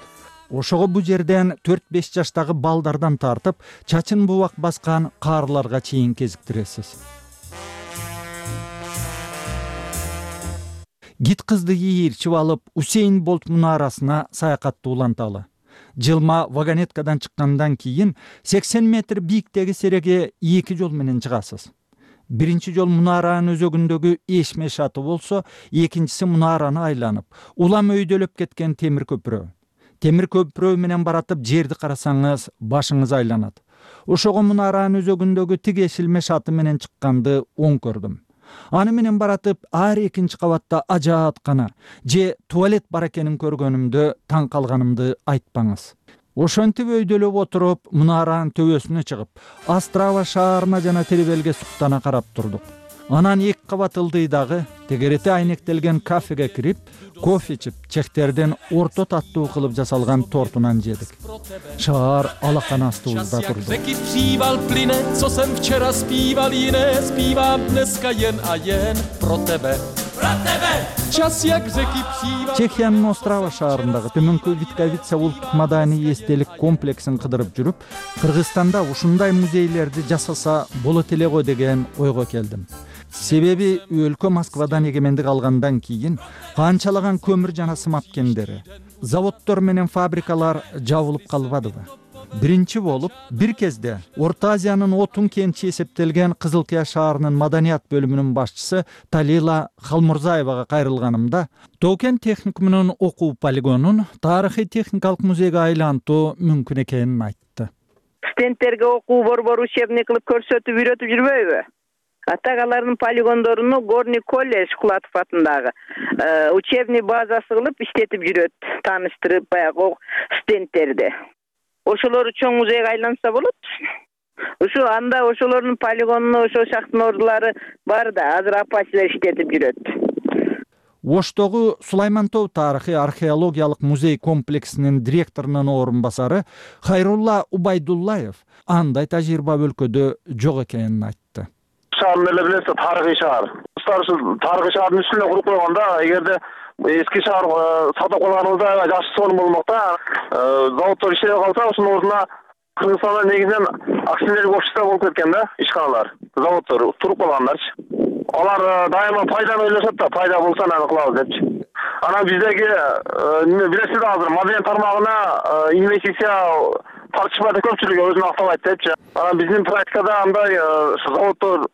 Ошого бу жерден төрт беш жаштагы балдардан тартып, чачын бубак баскан каарларга чейин кезиктиресиз. Гит кызды ийирчип алып, Усейн Болт мунарасына саякатты уланталы. Жылма вагонеткадан чыккандан кийин сексен метр бийиктеги сереге эки жол менен чыгасыз. Биринчи жол мунаранын өзөгүндөгү эшме шаты болсо, экинчиси мунараны айланып, улам өйдөлөп кеткен темир көпүрө. Темир көпүрө менен баратып жерди карасаңыз, башыңыз айланат. Ошого мунаранын өзөгүндөгү тиги эшилме шаты менен чыкканды оң көрдүм. Аны менен баратып, ар экинчи кабатта ажааткана же туалет бар экенин көргөнүмдө таң калганымды айтпаңыз. Ошентип өйдөлөп отуруп, мунаранын төбөсүнө чыгып, Острава шаарына жана Теребелге суктана карап турдук. Анан эки кабат ылдыйдагы тегерети айнектелген кафеге кирип, кофе ичип, чехтерден орто таттуу кылып жасалган тортунан жедик. Шаар алакан астыбызда турду. Чехиянын Острава шаарындагы Төмөнкү Витковица улуттук маданий эстелик комплексин кыдырып жүрүп, Кыргызстанда ушундай музейлерди жасаса болот эле го деген ойго келдим. Себеби өлкө Москвадан эгемендик алгандан кийин канчалаган көмүр жана сымап кендери, заводдор менен фабрикалар жабылып калбадыбы? Биринчи болуп, бир кезде Орто Азиянын отун кенчи эсептелген Кызылкия шаарынын маданият бөлүмүнүн башчысы Талила Халмурзаевага кайрылганымда, Тоокен техникумунун окуу полигонун тарыхый техникалык музейге айлантуу мүмкүн экенин айтты. Студенттерге окуу борбор учебный кылып көрсөтүп үйрөтүп жүрбөйбү? Атак алардын полигондоруну Горный колледж Кулатов атындагы учебный базасы кылып иштетип жүрөт, тааныштырып баягы студенттерди. Ошолору чоң музейге айланса болот. Ушу анда ошолордун полигонуна ошо шахтын ордулары бар да, азыр апачилер иштетип жүрөт. Оштогу Сулаймантоо тарыхый археологиялык музей комплексинин директорунун орун басары Хайрулла Убайдуллаев андай тажрыйба өлкөдө жок экенин айтты. Шаарын эле билесиз, тарыхый шаар. Тарыхый шаардын үстүнө куруп койгондо, эгерде эски шаар сатып калганыбызда жакшы сонун болмок да. Заводдор иштебей калса, ошонун ордуна Кыргызстанда негизинен акционерлик общество болуп кеткен да, ишканалар, заводдор туруп калгандарчы. Алар дайыма пайданы ойлошот да, пайда болсо аны кылабыз депчи. Анан биздеги билесиз азыр маданият тармагына инвестиция тартышпайт, көпчүлүгү өзүн актабайт депчи. Анан биздин практикада андай заводдор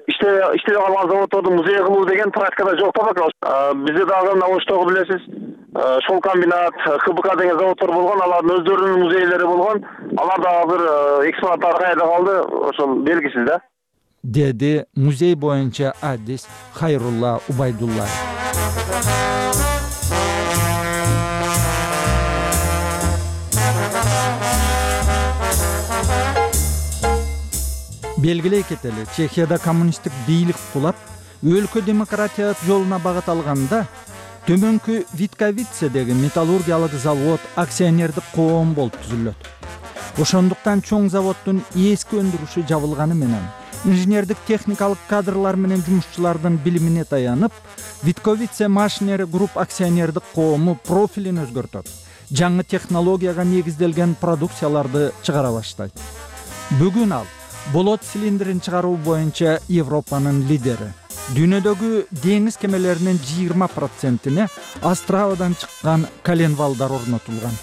иштебей калган заводдорду музей кылуу деген практикада жок да. Бизде дагы мына Оштогу билесиз, шол комбинат, КБК деген заводдор болгон, алардын өздөрүнүн музейлери болгон. Алар да азыр экспонаттары кайда калды, ошол белгисиз да. Деди музей боюнча адис Хайрулла Убайдуллаев. Белгилей кетели, Чехияда коммунисттик бийлик кулап, өлкө демократия жолуна багыт алганда, Төмөнкү Витковицедеги металлургиялык завод акционердик коом болуп түзүлөт. Ошондуктан чоң заводдун эски өндүрүшү жабылганы менен, инженердик техникалык кадрлар менен жумушчулардын билимине таянып, Витковице Машинери групп акционердик коому профилин өзгөртөт. Жаңы технологияга негизделген продукцияларды чыгара баштайт. Бүгүн ал болот цилиндрин чыгаруу боюнча Европанын лидери. Дүйнөдөгү деңиз кемелеринин жыйырма процентине Островадан чыккан коленвалдар орнотулган.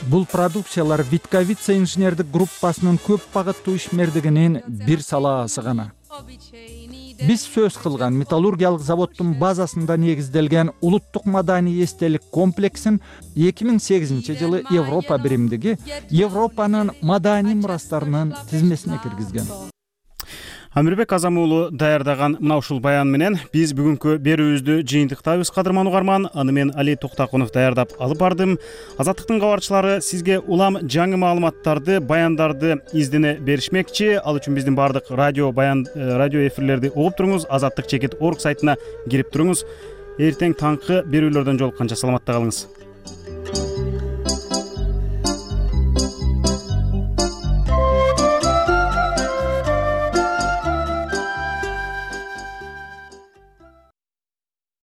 Бул продукциялар Витковица инженердик группасынын көп багыттуу ишмердигинин бир салаасы гана. Биз сөз кылган металлургиялык заводдун базасында негизделген улуттук маданий эстелик комплексин эки миң сегизинчи жылы Европа биримдиги Европанын маданий мурастарынын тизмесине киргизген. Амирбек Азам уулу даярдаган мына ушул баян менен биз бүгүнкү берүүбүздү жыйынтыктайбыз, кадырман угарман. Аны мен Али Токтакунов даярдап алып бардым. Азаттыктын кабарчылары сизге улам жаңы маалыматтарды, баяндарды издене беришмекчи. Ал үчүн биздин бардык радио баян радио эфирлерди угуп туруңуз. азаттык чекит орг сайтына кирип туруңуз. Эртең таңкы берүүлөрдөн жолукканча саламатта калыңыз.